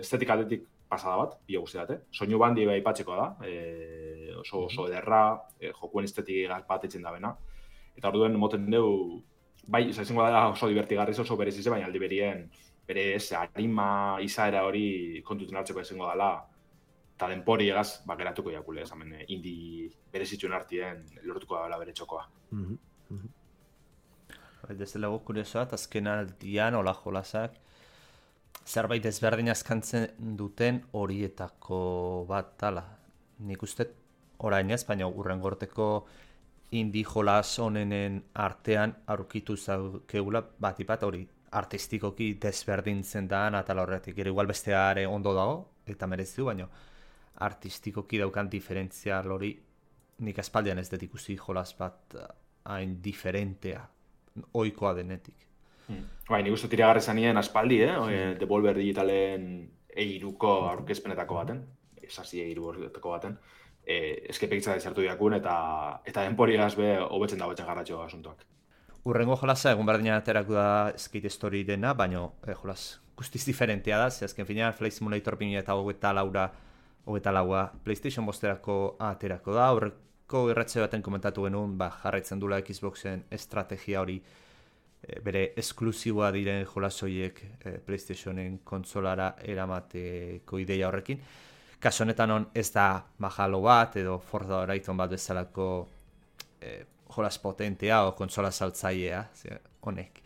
estetik aldetik pasada bat, bila guzti date. Soinu bandi bai patxeko da, e, oso, oso ederra, e, jokuen estetik bat etzen da bena. Eta orduen moten dugu, bai, izango da oso divertigarriz, oso berezize, baina aldi berien, bere ez, harima izaera hori kontuten hartzeko izango dela, eta denpori egaz, bakeratuko jakule, ez hemen, indi berezitxuen artien lortuko dela bere txokoa. Mm-hmm. Mm-hmm. Dezela gu kuriosoa, azken aldian, hola jolasak, zerbait ezberdin azkantzen duten horietako bat tala. Nik uste orain ez, baina urren gorteko indi jolas honenen artean aurkitu zaukegula bat ipat hori artistikoki desberdintzen da atal horretik. Gero igual besteare ondo dago, eta merezidu, baina artistikoki daukan diferentzial hori nik aspaldian ez dut ikusi jolas bat hain diferentea, ohikoa denetik. Hmm. Bai, nik uste tiragarri zanien aspaldi, eh? Hmm. Devolver Digitalen eiruko aurkezpenetako baten, esasi eiruko baten, e, eskepekitza dezartu diakun eta eta denpori gazbe hobetzen da hobetzen garratxo asuntoak. Urrengo jolasa egun berdina aterako da Skate Story dena, baina eh, jolas guztiz diferentea da, ze azken finean Flight Simulator bi mila hogeita laura, hogeita laua PlayStation bosterako aterako da, horreko irratze baten komentatu genuen, ba, jarraitzen dula Xboxen estrategia hori bere esklusiboa diren jolasoiek e, PlayStationen kontsolara eramateko ideia horrekin. Kaso honetan on ez da bajalo bat edo Forza Horizon bat bezalako e, jolas potentea o kontsola saltzailea, honek.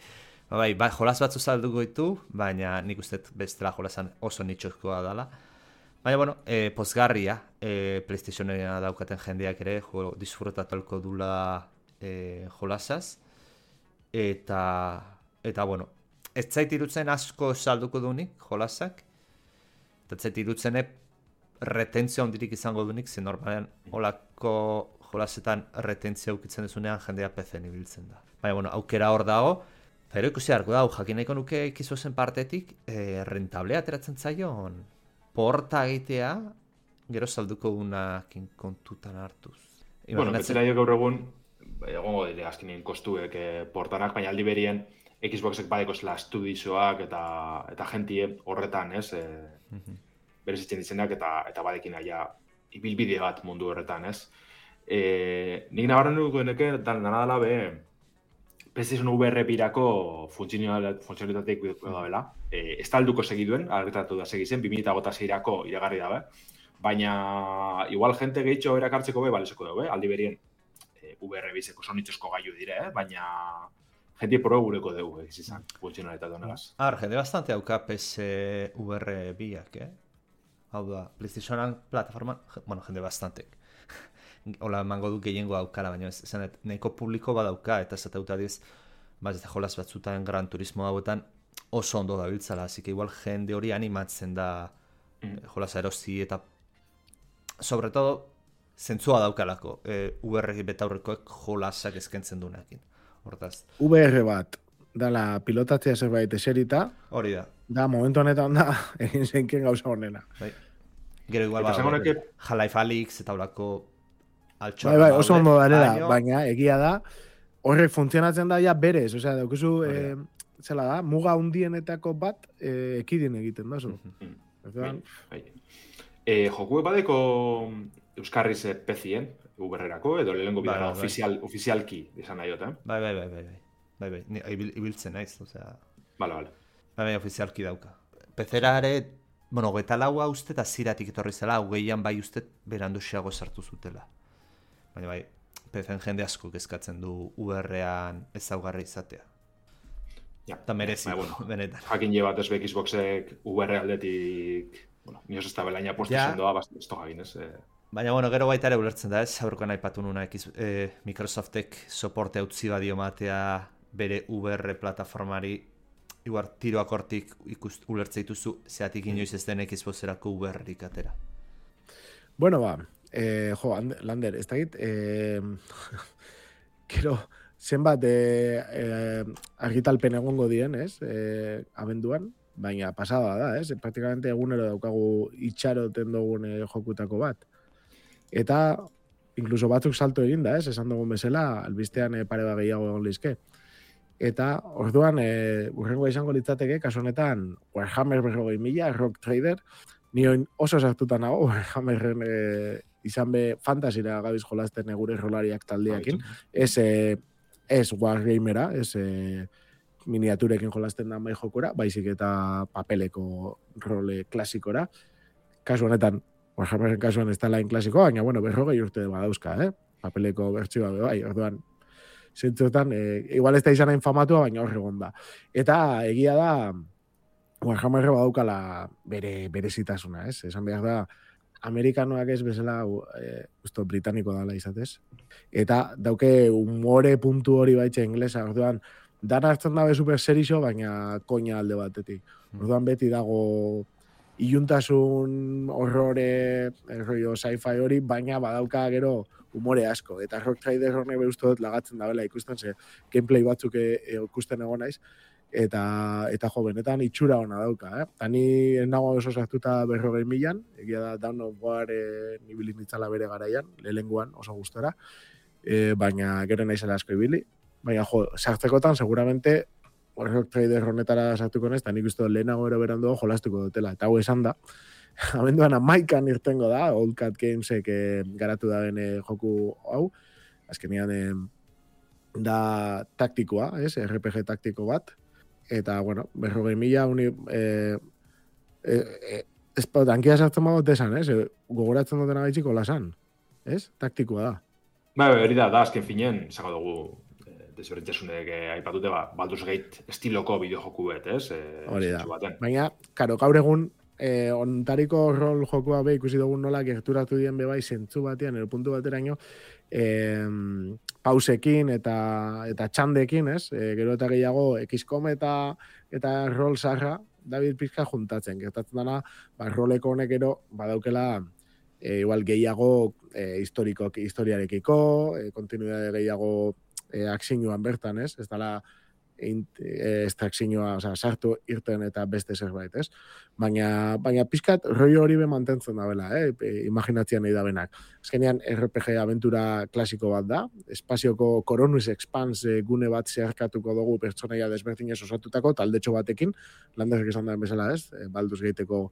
Ba, bai, ba, jolas batzu salduko ditu, baina nik uste bestela jolasan oso nitxozkoa dela. Baina, bueno, e, pozgarria, e, PlayStationera daukaten jendeak ere jo, disfrutatolko dula e, jolasaz. Eta, eta bueno, ez zait irutzen asko salduko dunik, jolasak. Eta ez zait irutzen retentzio hondirik izango dunik, zen normalean holako jolasetan retentzio ukitzen dezunean jendea P C-en ibiltzen da. Baina, bueno, aukera hor dago. Pero ikusi harko da, jakin nahiko nuke ikizuzen partetik, e, rentablea ateratzen zaion porta egitea, gero salduko gunakin kontutan hartuz. Bueno, betzera jo gaur egun, egongo dire azkenien kostuek eh, portanak, baina aldi berien Xboxek badeko zela estudizoak eta eta jentie horretan, ez? E, mm-hmm. Berezitzen ditzenak eta eta badekin aia ibilbide bat mundu horretan, ez? E, nik nabarren dugu deneke, dana dela be, PlayStation V R birako funtzionalitateik da bela. E, ez talduko segiduen, argitatu da segizen, bi mila hogeita seirako iragarri dabe. Baina, igual jente gehitxo erakartzeko be, baleseko dugu, aldi berien. V R bizeko sonituzko gaiu dire, eh? Baina jenti probe gureko dugu, egiz izan, funtzionalitate honegaz. Ar, jende bastante hauka P S V R biak, eh? Hau da, PlayStationan plataforman, bueno, jende bastantek. Hola, emango du gehiengo aukala, baina ez, nahiko publiko badauka, eta ez atauta diz, ba, ez da jolas batzutan Gran Turismo hauetan oso ondo dabiltzala, así que igual jende hori animatzen da mm. jolasa erosi eta sobre todo zentzua daukalako, e, U R betaurrekoek jolasak eskentzen duenekin. Hortaz. U R bat, dala pilotatzea zerbait eserita, hori da. Da, momentu honetan da, egin zeinken gauza honena. Bai. Gero igual bada, que... Half-Life Alyx eta horako altxoa. Bai, bai, oso ondo darela, baino... baina egia da, horrek funtzionatzen da ja berez, osea, daukuzu, eh, zela da, muga hundienetako bat eh, ekidin egiten da, zo. Bai, bai. Eh, joku badeko Euskarriz pezien, uberrerako, edo lehenko bidara bai, bai, ofizial, bai. ofizialki, izan nahi eh? Bai, bai, bai, bai, bai, bai, bai, bai. Ibil, ibiltzen naiz, osea... Bale, bale. Bai, bai, ofizialki dauka. Pezera ere, bueno, geta laua uste eta ziratik etorri zela, hogeian bai uste berandusiago sartu zutela. Baina bai, pezen jende asko kezkatzen du U R-ean ezaugarri izatea. Ja, eta merezi, bai, bueno, benetan. Jakin je bat ez Xboxek U R aldetik, bueno, nioz ez da belaina postu ja. Zendoa, bast, ez togagin, ez... Eh... Baina, bueno, gero baita ere ulertzen da, ez? Aurrekoan aipatu nuna, eh, Microsoftek soporte utzi badio matea bere U R plataformari, igual tiroak hortik ikust, ulertze dituzu, zeatik inoiz ez den Xboxerako U R-rik atera. Bueno, ba, eh, jo, Lander, ez dakit, eh, kero, zenbat eh, eh, argitalpen egongo dien, ez, eh, abenduan, baina pasada da, ez, praktikamente egunero daukagu itxaroten dugun eh, jokutako bat. Eta, inkluso batzuk salto egin da, ez, esan dugun bezala, albistean eh, pare bat gehiago egon lizke. Eta, orduan, e, urrengoa izango litzateke, kasu honetan, Warhammer berrogei mila, Rock Trader, nion oso sartuta nago, Warhammerren e, izan be fantasira gabiz jolasten gure rolariak taldeakin, ez, e, ez Wargamera, ez e, miniaturekin jolasten da mai jokura, baizik eta papeleko role klasikora. Kasu honetan, Warhammerren kasuan ez da lain klasikoa, baina, bueno, berrogei urte badauzka, eh? Papeleko bertsioa be bai, orduan, zentzuetan, e, igual ez da izan infamatua, baina hor egon da. Eta egia da, Warhammer badaukala bere berezitasuna, ez? Esan behar da, amerikanoak ez bezala, e, usto, britaniko dala izatez. Eta dauke umore puntu hori baitxe inglesa, orduan, dan hartzen dabe super serixo, baina koina alde batetik. Orduan beti dago iluntasun horrore, rollo sci-fi hori, baina badauka gero umore asko. Eta Rock Trader horne behuztu dut lagatzen dabela ikusten, ze gameplay batzuk e, e, ikusten egon naiz, eta, eta jo, benetan itxura hona dauka. Eh? Ta ni nago oso sartuta berrogei milan, egia da Dawn of War e, nibili nitzala bere garaian, lehenguan oso gustora, e, baina gero naizela asko ibili. Baina jo, sartzekotan seguramente Rock Trader honetara sartuko naiz, eta nik uste lehenago ero berandu jolastuko dutela. Eta hau esan da, abenduan amaikan irtengo da, Old Cat Gamesek eh, garatu da bene joku hau, azkenean eh, da taktikoa, ez, R P G taktiko bat, eta, bueno, berrogei mila, uni, eh, eh, eh, ez pa, tankia sartzen bagot esan, ez, gogoratzen dutena gaitxiko lasan, ez, taktikoa da. Ba, hori da, da, azken finen, zago dugu, desberdintasunek eh, aipatute, ba, Baldur's Gate estiloko bideojoku bet, ez? Eh, hori da, baina, karo, gaur egun, Eh, ontariko rol jokua be ikusi dugun nola gerturatu dien be bai zentzu batean, ero puntu bateraino, eh, pausekin eta eta txandekin, ez? Eh, gero eta gehiago X COM eta eta rol sarra David pizka juntatzen. Gertatzen dana, ba, roleko honek ero badaukela eh, igual gehiago eh, historiko, historiarekiko, eh, kontinuidade gehiago eh, akzioan bertan, ez? Ez dala estrakzioa, oza, sartu irten eta beste zerbait, ez? Baina, baina pizkat roi hori be mantentzen da bela, eh? Imaginatzean nahi da benak. Azkenean R P G aventura klasiko bat da, espazioko Coronus Expanse gune bat zeharkatuko dugu pertsonaia desberdinez osatutako taldetxo batekin, landezak esan da bezala, ez? Baldur's Gateko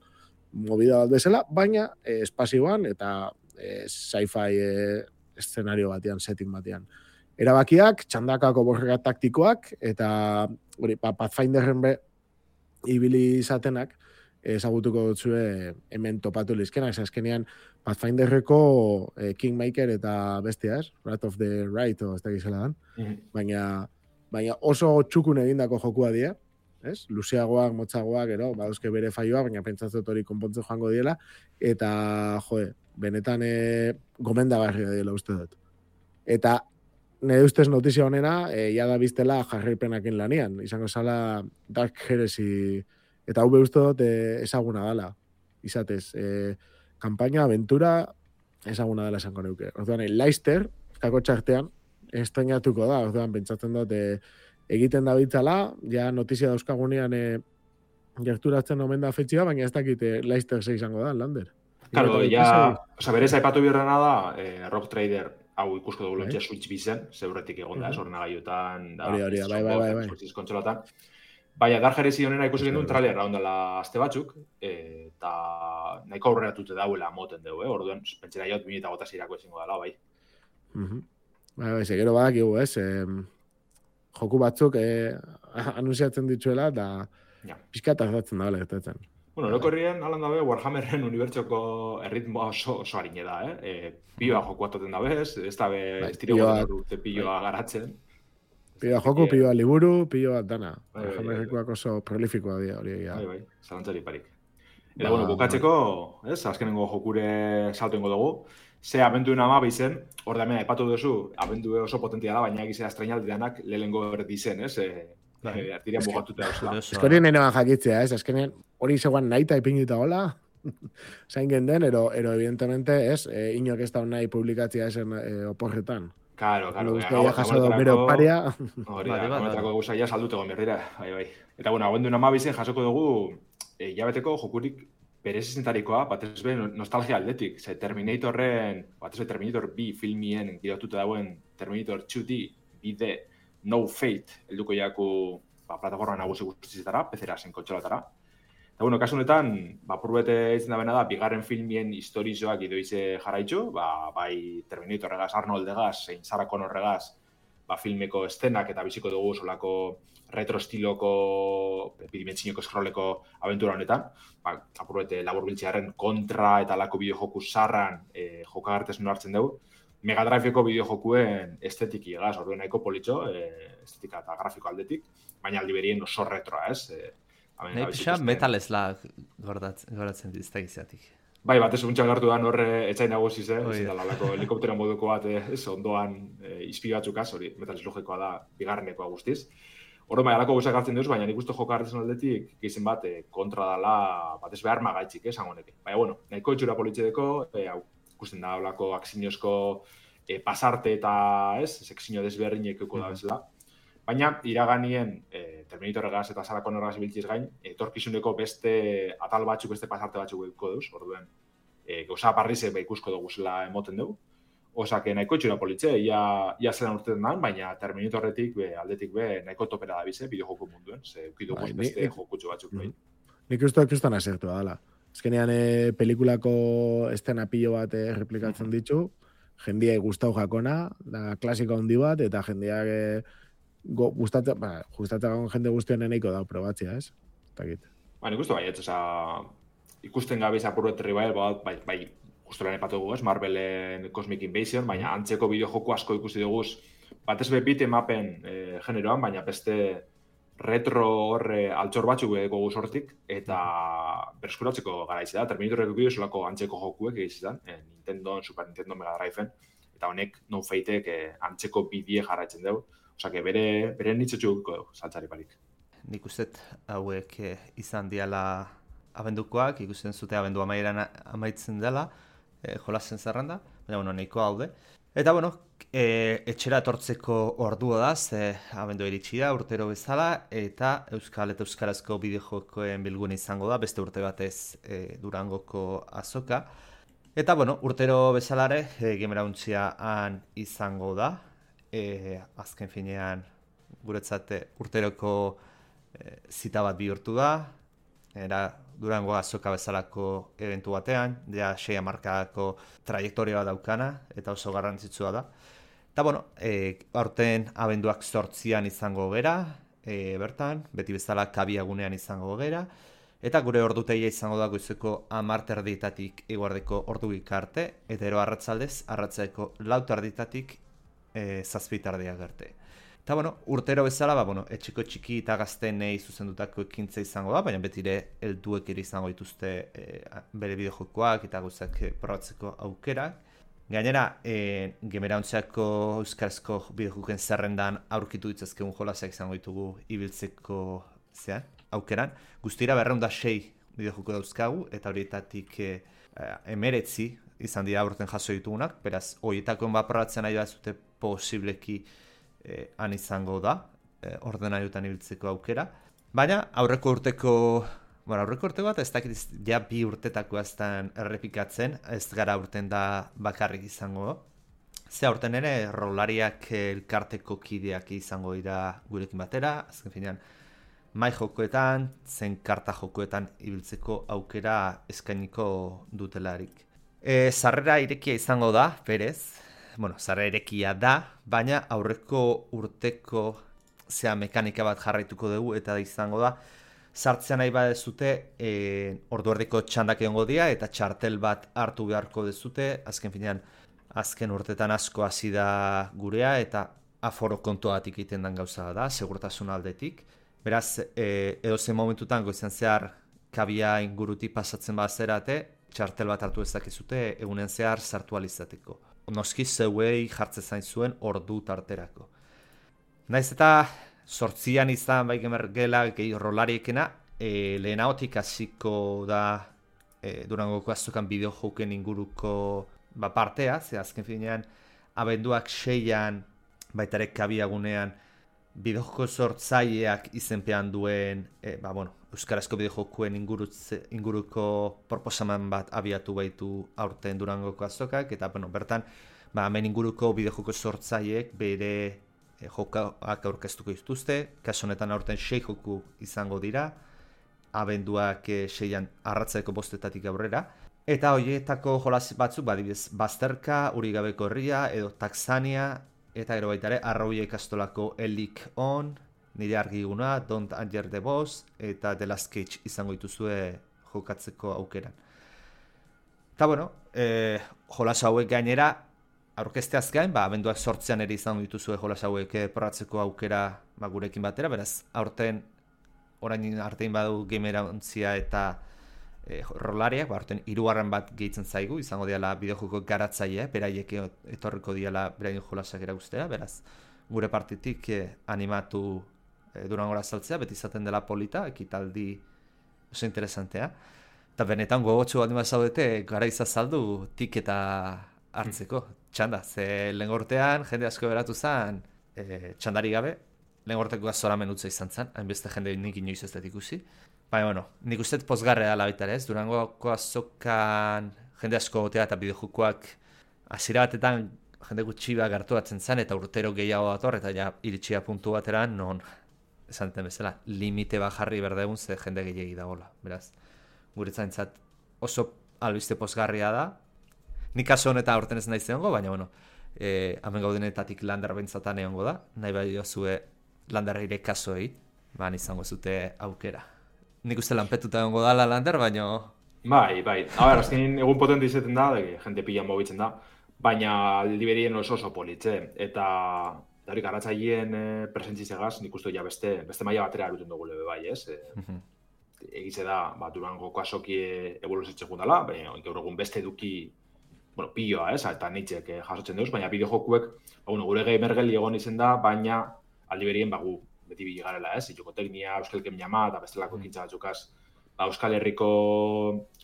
movida bat bezala, baina eh, espazioan eta eh, sci-fi eh, eszenario batean, setting batean. Erabakiak, txandakako borrega taktikoak, eta hori, pa, Pathfinderren be ibili izatenak, ezagutuko dutzue hemen topatu lizkenak, azkenean Pathfinderreko eh, Kingmaker eta bestia, ez? Wrath of the Right, o ez da gizela dan. Mm-hmm. Baina, baina oso txukun egindako jokua die, ez? Luzeagoak, motzagoak, ero, baduzke bere faioa, baina pentsatzen hori konpontzen joango diela, eta, joe, benetan e, gomendagarria diela uste dut. Eta nire ustez notizia honena, e, ja da biztela jarraipenakin lanian. Izango zala Dark Heresy, eta hau uste dut e, ezaguna dala. Izatez, e, kampaina, aventura, ezaguna dela esango neuke. Orduan, Leicester, kako txartean, estrenatuko da. Orduan, pentsatzen dut, e, egiten da bitzala, ja notizia dauzkagunean e, gerturatzen omen da fetxia, baina ez dakit e, Leicester ze izango da, Lander. Claro, ja, oza, berez aipatu birrena da, eh, Rock Trader hau ikusko dugu lontxe Switch bizen, zeuretik egon da, sorna gaiotan, da, hori, hori, bai, bai, bai, bai. Kontsolatan. Baina, Dark Heresy honena ikusi gendun trailer raundela azte batzuk, eta nahiko aurreratute dauela moten dugu, eh? Orduan, pentsera jot, bi mila hogeita seirako ezingo dela, bai. Bai, bai, segero badakigu, ez? Joku batzuk eh, anunciatzen dituela, eta pixka tardatzen da, gertatzen. Bueno, orokorrien, alan dabe, Warhammerren unibertsoko erritmoa oso, oso harine da, eh? E, pioa joku atoten dabe, ez? Ez dabe, ez dire urte pioa garatzen. Pioa joku, pioa liburu, pioa dana. Warhammerrekoak oso prolifikoa dira, hori egia. Bai, bai, zalantzari parik. Eta, bueno, bukatzeko, ez? Azkenengo jokure salto ingo dugu. Ze abenduen ama bizen, hor da hemen aipatu duzu, abendue oso potentia da, baina egizea estrainaldianak lehengo erdi zen, ez? E, Artiria bugatuta dauzela. Eskorien nenoan jakitzea, ez? Azkenean hori zegoan nahi eta ipinita hola, zain genden, ero, ero evidentemente, ez? E, inok ez da nahi publikatzea esen e, oporretan. Claro, claro. Guztia ja jasado bero paria. Hori da, gametrako guzaia salduteko berrira, bai, bai. Eta, bueno, abenduen ama bizen jasoko dugu, e, jabeteko jokurik berezizentarikoa, batez be nostalgia aldetik. Ze Terminatorren, batez be Terminator bi filmien girotuta dauen Terminator two D, bide, No Fate, helduko jaku ba, plataforma nagusi guztizitara, pezera zen kontsolatara. Eta, bueno, kasu honetan, ba, purbete izan da bena da, bigarren filmien historizoak idoize jarraitzu, ba, bai Terminatorregaz, Arnoldegaz, zein Sarah Connorregaz, ba, filmeko estenak eta biziko dugu solako retro estiloko, bidimentzineko eskroleko abentura honetan. Ba, apurbete labur biltzearen kontra eta lako bideojoku sarran e, jokagartesun hartzen dugu. Mega Driveko bideojokuen estetiki egaz, orduen nahiko politxo, e, estetika eta grafiko aldetik, baina aldi berien oso retroa, ez? E, Nahi pixa Metal Slug goratzen dizta gizatik. Bai, batez untxan gartu da horre etxain nagusi ze, ez da lalako helikoptero moduko bat, ez ondoan e, izpi batzukaz, hori Metal Slugekoa da, bigarrenekoa guztiz. Horo bai, alako guzak hartzen duz, baina nik uste joka hartzen aldetik, gizien bat, e, kontra dala, batez behar magaitxik, ez, hangoneke. Baina, bueno, nahiko etxura politxedeko, e, hau, ikusten da, olako aksiñozko e, pasarte eta, ez, sekzio desberdinek euko da bezala. Baina, iraganien, e, Terminatorregaz eta Sarah Connorregaz ibiltziz gain, etorkizuneko beste atal batzuk, beste pasarte batzuk euko duz, orduen, e, gauza parrize ba, ikusko dugu zela emoten dugu. Osake nahiko etxura politxe, ia, ia zelan urtetan da, baina Terminatorretik, be, aldetik be, nahiko topera da bize, bideojoku munduen, ze eukiduguz bai, beste ni, jokutxo batzuk. Bai. Nik uste kristan asertua dala. Ezkenean e, pelikulako estena pilo bat e, replikatzen ditu, jendia gustau jakona, da klasiko handi bat, eta jendia e, gustatzen, ba, gustatzen jende guztien eneiko da, probatzea, ez? Takit. Ba, nik uste bai, ez, oza, ikusten gabe zapurro eterri bai, bai, bai, justu lan epatu dugu, ez, Marvelen Cosmic Invasion, baina antzeko bideojoku asko ikusi dugu, batez be beat emapen e, generoan, baina beste retro horre altxor batzuk edeko guzortik, eta berskuratzeko gara izan da, Terminatorreko bideo solako antzeko jokuek egizan, e, Nintendo, Super Nintendo, Mega Driven, eta honek No Fateek e, antzeko bidie jarraitzen dugu, osake bere, bere nitzotxu dugu saltzari parik. Nik uste hauek e, izan diala abendukoak, ikusten zute abendu amaieran amaitzen dela, e, jolazen zerrenda, baina bueno, nahiko haude. Eta bueno, e, etxera etortzeko ordua da, ze abendu iritsi da, urtero bezala, eta euskal eta euskarazko bideojokoen bilgune izango da, beste urte batez e, Durangoko azoka. Eta bueno, urtero bezalare, e, Gamerauntxia han izango da, e, azken finean guretzat urteroko e, zita bat bihurtu da, era Durango azoka bezalako eventu batean, ja sei hamarkadako trajektoria daukana, eta oso garrantzitsua da. Eta bueno, e, aurten abenduak zortzian izango gera, e, bertan, beti bezala kabiagunean izango gera, eta gure ordutegia izango da goizeko hamar terdietatik eguardeko ordugik arte, eta ero arratzaldez, arratzeko lau terdietatik e, zazpi tardiak arte. Eta, bueno, urtero bezala, ba, bueno, etxeko txiki eta gaztenei zuzendutako ekintza izango da, baina betire helduek ere izango dituzte e, bere bideojokoak eta guzak probatzeko aukerak. Gainera, e, Gamerauntziako euskarazko bideojokoen zerrendan aurkitu ditzazkegun jolasak izango ditugu ibiltzeko zean, aukeran. Guztira berrehun eta sei bideojoko dauzkagu, eta horietatik e, emeretzi izan dira aurten jaso ditugunak, beraz, horietako enbaprobatzen nahi bazute posibleki e, han izango da, e, ordenariotan ibiltzeko aukera. Baina, aurreko urteko, bueno, aurreko urteko bat, ez dakit ja bi urtetako aztan errepikatzen, ez gara urten da bakarrik izango. Ze aurten ere, rolariak elkarteko kideak izango dira gurekin batera, azken finean, mai jokoetan, zen karta jokoetan ibiltzeko aukera eskainiko dutelarik. E, zarrera irekia izango da, berez, bueno, zarrera irekia da, baina aurreko urteko zea mekanika bat jarraituko dugu, eta da izango da, sartzea nahi badezute, e, ordu erdiko txandak egongo dira, eta txartel bat hartu beharko dezute, azken finean, azken urtetan asko hasi da gurea, eta aforo kontuatik egiten den gauza da, segurtasun aldetik. Beraz, e, edozen momentutan goizan zehar kabia ingurutik pasatzen bazerate, txartel bat hartu ezakezute egunen zehar sartu alizateko. Noski zeuei jartze zain zuen ordu tarterako. Naiz eta sortzian izan bai gemergela gehi rolariekena, e, lehenagotik hasiko da e, Durangoko azokan bideojoken inguruko ba, partea, ze azken finean abenduak seian baitare kabiagunean bideojoko sortzaileak izenpean duen e, ba, bueno, euskarazko bideojokoen inguruko proposamen bat abiatu baitu aurten Durangoko azokak, eta bueno, bertan ba, hemen inguruko bideojoko sortzaileek bere e, jokoak aurkeztuko dituzte, kasu honetan aurten sei joku izango dira, abenduak e, seian arratzeko bostetatik aurrera, eta horietako jolas batzuk, badibidez, Bazterka, Urigabeko herria, edo Taxania, eta gero baita ere, Arrauia ikastolako Elik On, nire argiguna, Don't Anger the Boss, eta The Last Cage izango dituzue jokatzeko aukeran. Eta bueno, e, jolas hauek gainera, aurkezteaz gain, ba, abenduak sortzean ere izango dituzue jolas hauek probatzeko aukera ba, gurekin batera, beraz, aurten, orain artein badu Gamerantzia eta e, rolariak, ba, aurten hirugarren bat gehitzen zaigu, izango diala bideojoko garatzailea, beraiek etorriko diala beraien jolasak erakustea, beraz, gure partitik e, animatu e, Durangora saltzea, beti izaten dela polita, ekitaldi oso interesantea. Eta benetan gogotsu bat nima zaudete, gara izazaldu tiketa hartzeko, txanda. Ze lehen gortean, jende asko beratu zen, e, txandari gabe, lehen gorteko zoramen utza izan zen, hainbeste jende nik inoiz ez dut ikusi. Baina, bueno, nik uste pozgarrea dela baita ere, ez? Durangoko azokan jende asko gotea eta bideojokoak hasiera batetan jende gutxi bat gertuatzen zen, eta urtero gehiago dator, eta ja iritsia puntu bateran, non, esan duten bezala, limite bat jarri berdegun ze jende gehiagi dagoela, beraz. Guretzaintzat oso albiste pozgarria da. Nik kaso honetan aurten ez nahi zeongo, baina, bueno, e, hemen gaudenetatik lander bentzatan egongo da, nahi bai diozue landerreire kasoei, ban izango zute aukera. Nik uste lanpetuta egongo dala lander, baina... Bai, bai. A ber, azkenin egun potente izaten da, de, jente pila mobitzen da, baina aldiberien oso oso politze, eta hori garatzaileen e, presentzizegaz, nik uste ja beste, beste maila batera eruten dugu lebe bai, ez? E, uh-huh. Egize da, ba, Durangoko azoki evoluzitzen gundala, baina gaur egun beste eduki, bueno, piloa, ez? Eta nitxek eh, jasotzen duz, baina bideojokuek, ba, bueno, gure gamergeli egon izen da, baina aldiberien, ba, gu, beti biligarela, ez? Jokoteknia, Euskalkem jama, eta bestelako ekintza batzukaz, ba, Euskal Herriko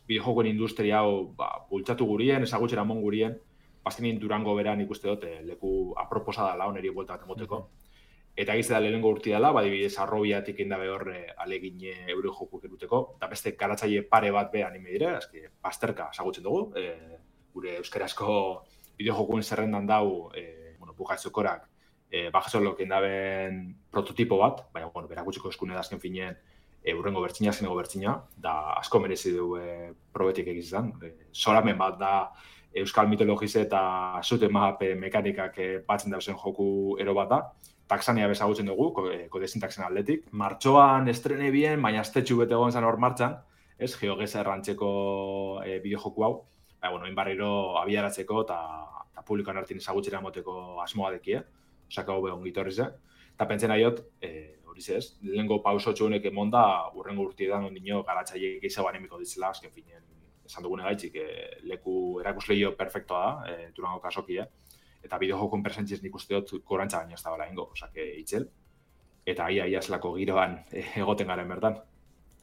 bideojokoen industria hau ba, bultzatu gurien, ezagutxera mon gurien, bazkenin Durango beran ikuste dut, eh, leku aproposa dela, oneri buelta bat emoteko. Eta egiz da lehenengo urti dela, badibidez Arrobiatik indabe hor alegin euro jokuek eruteko, eta beste garatzaile pare bat be anime dire, eski Bazterka ezagutzen dugu, e, gure euskarazko bideojokuen zerrendan dau, e, bueno, bukatzokorak, e, bajasolok indaben prototipo bat, baina, bueno, berakutsiko eskune da azken finean, e, urrengo bertsina, zenego bertsina, da asko merezi du e, probetik egizan. E, soramen bat da euskal mitologize eta zute map mekanikak e, batzen dauzen joku ero bat da. Taxania bezagutzen dugu, kodezin taxen aldetik. Martxoan estrene bien, baina aztetxu bete egon zen hor martxan, ez, geogeza errantzeko e, bideojoku hau, baina, bueno, inbarriro abiaratzeko eta publikoan hartin ezagutzera moteko asmoa dekie, osaka hobe ongitorri ze. Eta pentzen aiot, e, hori zez, lehenko pausotxo honek emonda, urrengo urtietan ondino garatzaile gehiago animiko ditzela, azken finean, esan dugune gaitxik, e, leku erakusleio perfektoa da, e, Durango kasokia, eta bideojokun presentziez nik uste dut gorantza baino ez da bala ingo, osake itxel, eta ia ia zelako giroan egoten garen bertan.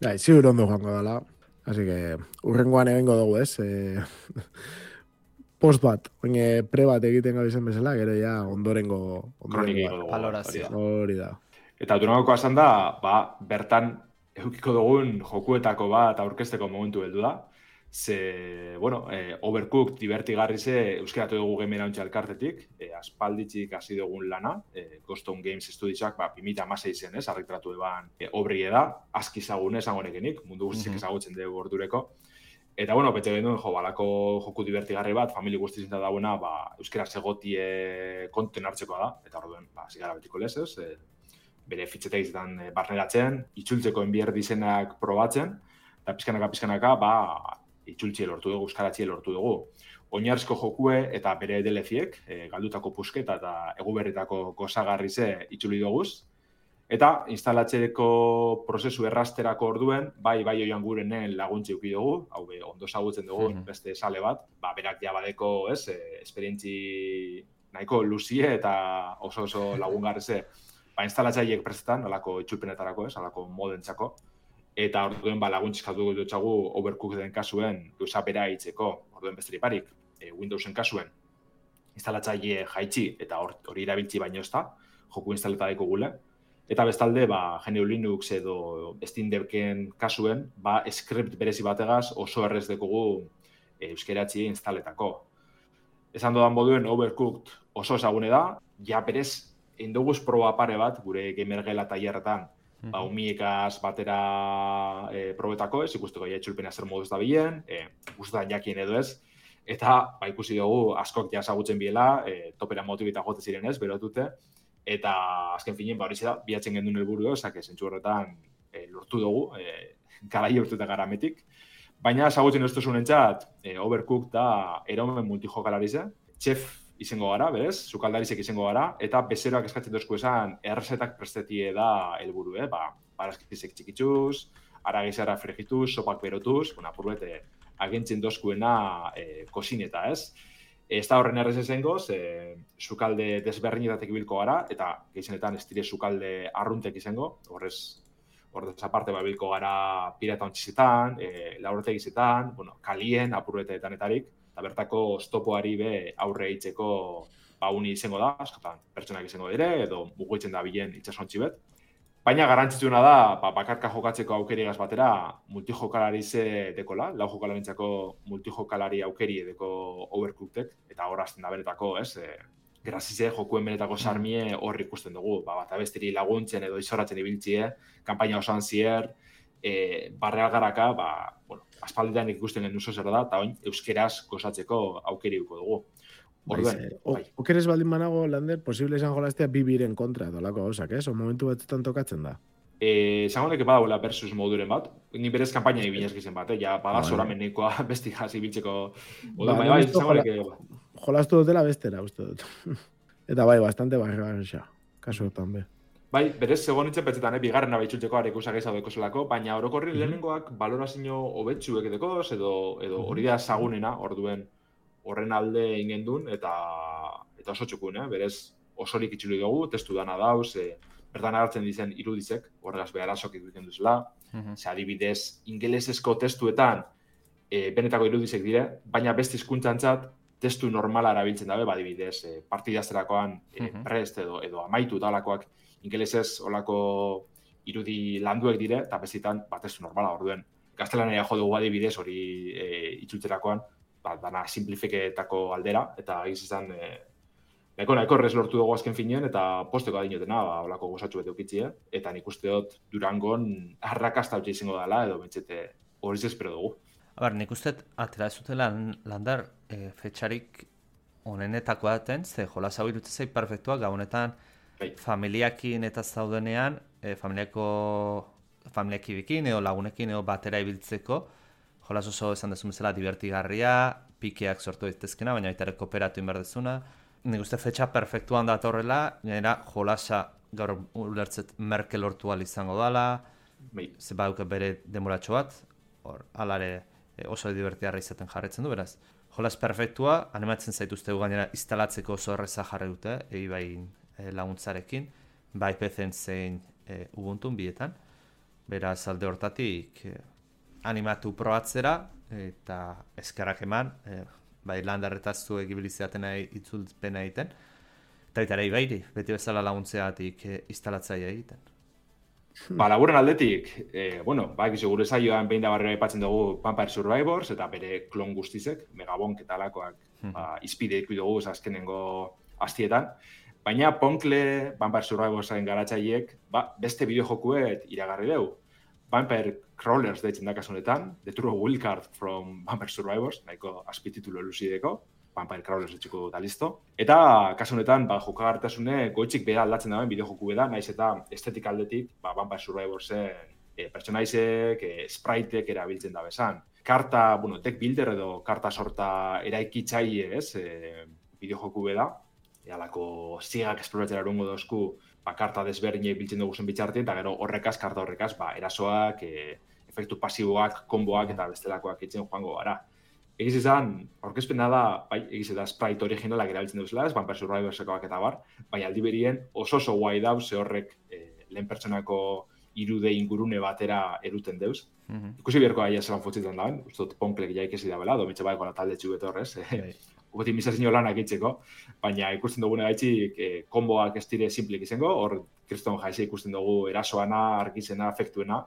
Bai, ziur ondo joango dela, así que urrengoan egingo dugu, ez? E, post bat, oine pre bat egiten gabizen bezala, gero ja ondorengo... ondorengo valorazioa. Hori da. Eta Durangoko esan da, ba, bertan eukiko dugun jokuetako bat aurkezteko momentu heldu da. Ze, bueno, eh, Overcooked divertigarri ze euskeratu dugu Game Launcher elkartetik, eh, aspalditzik hasi dugun lana, eh, Ghost-Town Games Studiosak, ba, bi mila hamasei zen, ez, argitratu eban eh, obrie da, aski zagune esango nekenik, mundu guztiak ezagutzen dugu ordureko. Eta, bueno, bete genuen, jo, balako joku divertigarri bat, famili guzti zinta dagoena, ba, euskera segotie konten hartzekoa da, eta orduen, ba, zigara betiko lez, ez, eh, bere fitxeteizetan eh, barneratzen, itzultzeko enbier dizenak probatzen, eta pizkanaka, pizkanaka, ba, itzultzie lortu dugu, euskaratzie lortu dugu. Oinarrizko jokue eta bere D L C-ek, e, galdutako pusketa eta eguberritako gozagarri ze itzuli duguz. Eta instalatzeko prozesu errasterako orduen, bai, bai oian gurenen laguntzi uki dugu, hau be, ondo zagutzen dugu, mm-hmm. beste sale bat, ba, berak jabadeko, ez, e, esperientzi nahiko luzie eta oso oso lagungarri ze, ba, instalatzaileek prestetan, alako itzulpenetarako, ez, alako modentzako, eta orduen ba, laguntziskatu dutxagu Overcookeden kasuen gauza bera hitzeko, orduen besterik barik, e, Windowsen kasuen instalatzaile jaitsi eta hori erabiltzi baino ez da, joku instaleta daiko gule. Eta bestalde, ba, G N U Linux edo Steam Decken kasuen, ba, script berezi bategaz oso errez dekogu e, euskeratzi instaletako. Esan dodan moduen Overcooked oso ezagune da, ja berez, indoguz proba pare bat, gure gamergela tailerretan, ba, umiekaz batera e, probetako ez, ikusteko ja etxulpena zer moduz da bilen, e, guztetan jakien edo ez, eta ba, ikusi dugu askok ja ezagutzen biela, e, topera motibita jote ziren ez, berotute, eta azken finien, ba, hori da, bihatzen gendun helburu, ezak, zentzu horretan e, lortu dugu, e, garai urtetan garametik, baina ezagutzen ez duzun entzat, e, Overcooked da eromen multijokalarize, chef izango gara, berez, sukaldarizek izango gara, eta bezeroak eskatzen dozku esan, errezetak prestetie da helburu, eh? Ba, barazkizek txikituz, aragizara fregituz, sopak berotuz, bueno, apurbete, agentzen dozkuena e, kosineta, ez? Ez da horren errez ezengoz, e, sukalde desberdinetatek bilko gara, eta gehizenetan ez dire sukalde arruntek izango, horrez, horrez aparte ba bilko gara pirata ontxizetan, e, lauretegizetan, bueno, kalien, apurbeteetan etarik, eta bertako oztopoari be aurre eitzeko ba uni izango da, askotan pertsonak izango dire, edo mugitzen da bilen itxasontzi bet. Baina garrantzitsuna da, ba, bakarka jokatzeko aukerigaz batera, multijokalarize dekola, lau jokalarentzako multijokalari aukeri edeko Overcookedek, eta hor azten da benetako, ez, e, grazize jokuen benetako sarmie hor ikusten dugu, ba, bat abestiri laguntzen edo izoratzen ibiltzie, kanpaina osoan zier, e, barreal garaka, ba, bueno, aspalditan ikusten genuen zer da, eta oin euskeraz gozatzeko aukeri duko dugu. Orduen, bai. Okeres baldin banago, Lander, posible izan jolaztea bibiren kontra, dolako gauzak, ez? O momentu batzutan tokatzen da. Eh, Zangonek badagoela versus moduren bat, ni berez kanpaina ibinez gizen bat, eh? Ja, bada zoramenekoa besti jasi biltzeko. Ba, bai, bai, zangonek... Jolaztu dutela bestera, uste dut. Eta bai, bastante barra xa, kasu tambe. Bai, berez, segon itzen petzetan, eh? Bigarrena baitxultzeko arekusak ez hau zelako, baina orokorri lehenengoak balorazio hobetsuek edekoz, edo hori da zagunena, orduen horren alde ingendun, eta eta oso txukun, eh? Berez, osorik itxuli dugu, testu dana dauz, e, bertan hartzen dizen irudizek, horregaz beharazok egiten duzela, uh-huh. Ze adibidez, ingelesezko testuetan e, benetako irudizek dire, baina beste hizkuntzantzat testu normala erabiltzen dabe, badibidez, e, partidazterakoan e, uh-huh. prest edo, edo amaitu talakoak ingelesez olako irudi landuek dire, eta bestitan ba, testu normala orduen. Gaztelania jo dugu adibidez hori e, itzultzerakoan, ba, dana simplifiketako aldera, eta egiz izan, e, nahiko nahiko errez lortu dugu azken finean, eta posteko adinotena, ba, olako gozatxu bete ukitzie, eta nik uste dut Durangon arrakasta hau izango dela, edo bentsete horiz espero dugu. A ber, nik uste atera ez zutela, Landar, e, fetxarik onenetako daten, ze jolas hau irutzezei perfektua, gaunetan bai. Familiakin eta zaudenean, e, familiako familiakibikin, edo lagunekin, edo batera ibiltzeko, jolas oso esan dezun bezala divertigarria, pikeak sortu daitezkena, baina baita ere kooperatu inberdezuna. Nik uste fetxa perfektuan datorrela, gainera jolasa gaur ulertzet merke lortu al izango dala, bai. Ze baduke bere demoratxo bat, hor, alare e, oso divertigarra izaten jarretzen du, beraz. Jolas perfektua, animatzen zaituztegu gainera instalatzeko oso erreza jarri dute, egi bai e, laguntzarekin, bai P C-en zein e, Ubuntun bietan. Beraz, alde hortatik e, animatu probatzera, eta eskerrak eman, e, bai landarretaz zuek ibiliziaten itzulpena egiten, eta eta ere ibairi, beti bezala laguntzeatik e, instalatzaia egiten. Ba, laburen aldetik, eh, bueno, ba, egizu gure zaioan behin da barrera aipatzen dugu Vampire Survivors eta bere klon guztizek, Megabonk eta alakoak ba, izpide iku dugu azkenengo hastietan. Baina Ponkle, Vampire Survivorsen garatzaileek, ba, beste bideojokuet iragarri deu. Vampire Crawlers deitzen da kasunetan, The True Wildcard from Vampire Survivors, nahiko azpititulo elusideko, Vampire Crawlers etxiko da listo. Eta kasu honetan ba, jokagartasune goitzik bera aldatzen dauen bideojoku beda, naiz eta estetik aldetik ba, Vampire Survivorsen e, pertsonaizek, e, spriteek erabiltzen da bezan. Karta, bueno, deck builder edo karta sorta eraikitzaile, ez, e, bideojoku beda. Ealako zigak esploratzera erungo dozku, ba, karta desberdinei biltzen dugu zen bitxartien, eta gero horrekaz, karta horrekaz, ba, erasoak, e, efektu pasiboak, komboak eta bestelakoak itzen joango gara. Egiz izan, aurkezpena da, bai, egiz da sprite originalak erabiltzen duzela, ez, Vampire Survivorsekoak eta bar, baina aldi berien oso oso guai dau, ze horrek eh, lehen pertsonako irude ingurune batera eruten deuz. Mm-hmm. Ikusi beharko aia zelan fotzitzen dauen, ustot Ponklek jaikesi da bela, domitxe bai gona talde txubeto horrez, eh, optimizazio lanak itzeko, baina ikusten dugune gaitxik eh, komboak ez dire simplik izango, hor kriston jaize ikusten dugu erasoana, argizena, efektuena,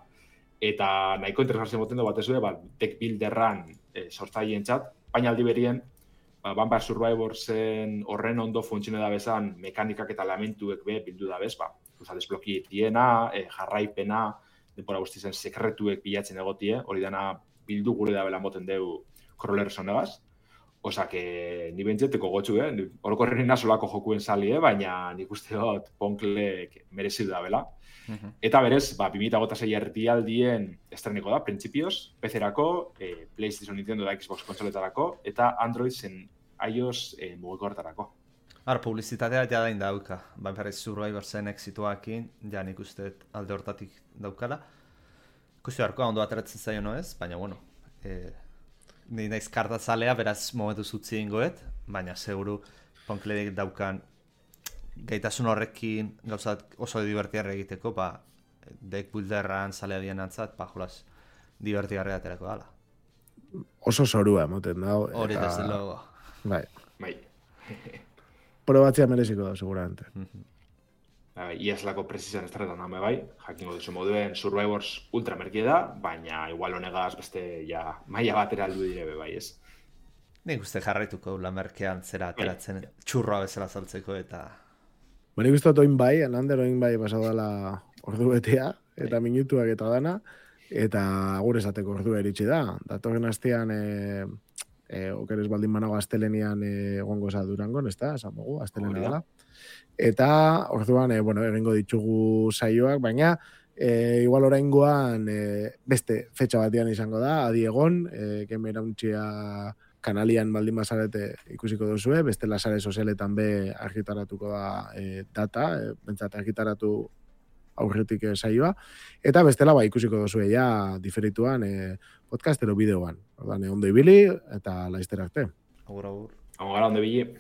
eta nahiko interesgartzen moten du batez ere, ba, deck builderran e, sortzaien txat, baina aldi berien, ba, Vampire Survivorsen horren ondo funtzione da bezan mekanikak eta elementuek be bildu da bez, ba, uza, desbloki etiena, e, jarraipena, denbora guztizen sekretuek bilatzen egotie, hori dana bildu gure da bela moten deu Crawler sonegaz, osa, que ni bentzeteko gotxu, eh? Orokorren solako jokuen sali, eh? Baina nik uste dut Ponklek merezidu da bela. Uh-huh. Eta berez, ba, bi mila hogeita sei erdialdien estreniko da, printzipioz, P C-erako, eh, PlayStation, Nintendo da Xbox kontsoletarako, eta Android zen iOS eh, mugikorretarako. Har, publizitatea ja dain dauka. Vampire Survivorsen exituakin, ja nik uste alde hortatik daukala. Ikusi beharko, ondo ateratzen zaio no ez, baina bueno, eh, ni naiz kartazalea, beraz momentu zutzi ingoet, baina seguru Ponkledek daukan gaitasun horrekin gauzat oso divertigarra egiteko, ba, deck builderran zalea dien antzat, ba, jolas, divertigarra aterako dala. Oso zorua emoten da. Hori eta... desde logo. Bai. Bai. Probatzia mereziko da, seguramente. Mm-hmm. Bai, Iaslako presizan estretan dame bai, jakingo duzu moduen Survivors ultra merkie da, baina igual honegaz beste ja maila batera aldu direbe bai, ez? Nik uste jarraituko la merkean zera ateratzen bai. Txurroa bezala saltzeko eta... Bueno, nik uste oin bai, anander oin bai pasau dela ordu betea, eta bai. Minutuak eta dana, eta gure esateko ordua eritxe da. Datorren astean, e, e, okeres baldin manago astelenian egongo e, za Durangon, ez da, esan dugu, astelena dela. Eta orduan, e, bueno, egingo ditugu saioak, baina e, igual oraingoan e, beste fetxa batean izango da, adi egon, e, gemerauntzia kanalian baldin bazarete ikusiko duzue, beste lasare sozialetan be argitaratuko da e, data, e, bentsat argitaratu aurretik e, saioa, eta bestela ba ikusiko duzue ja diferituan e, podcast ero bideoan. Ordan, ondo ibili eta laizter arte. Agur, agur. Agur, ondo ibili.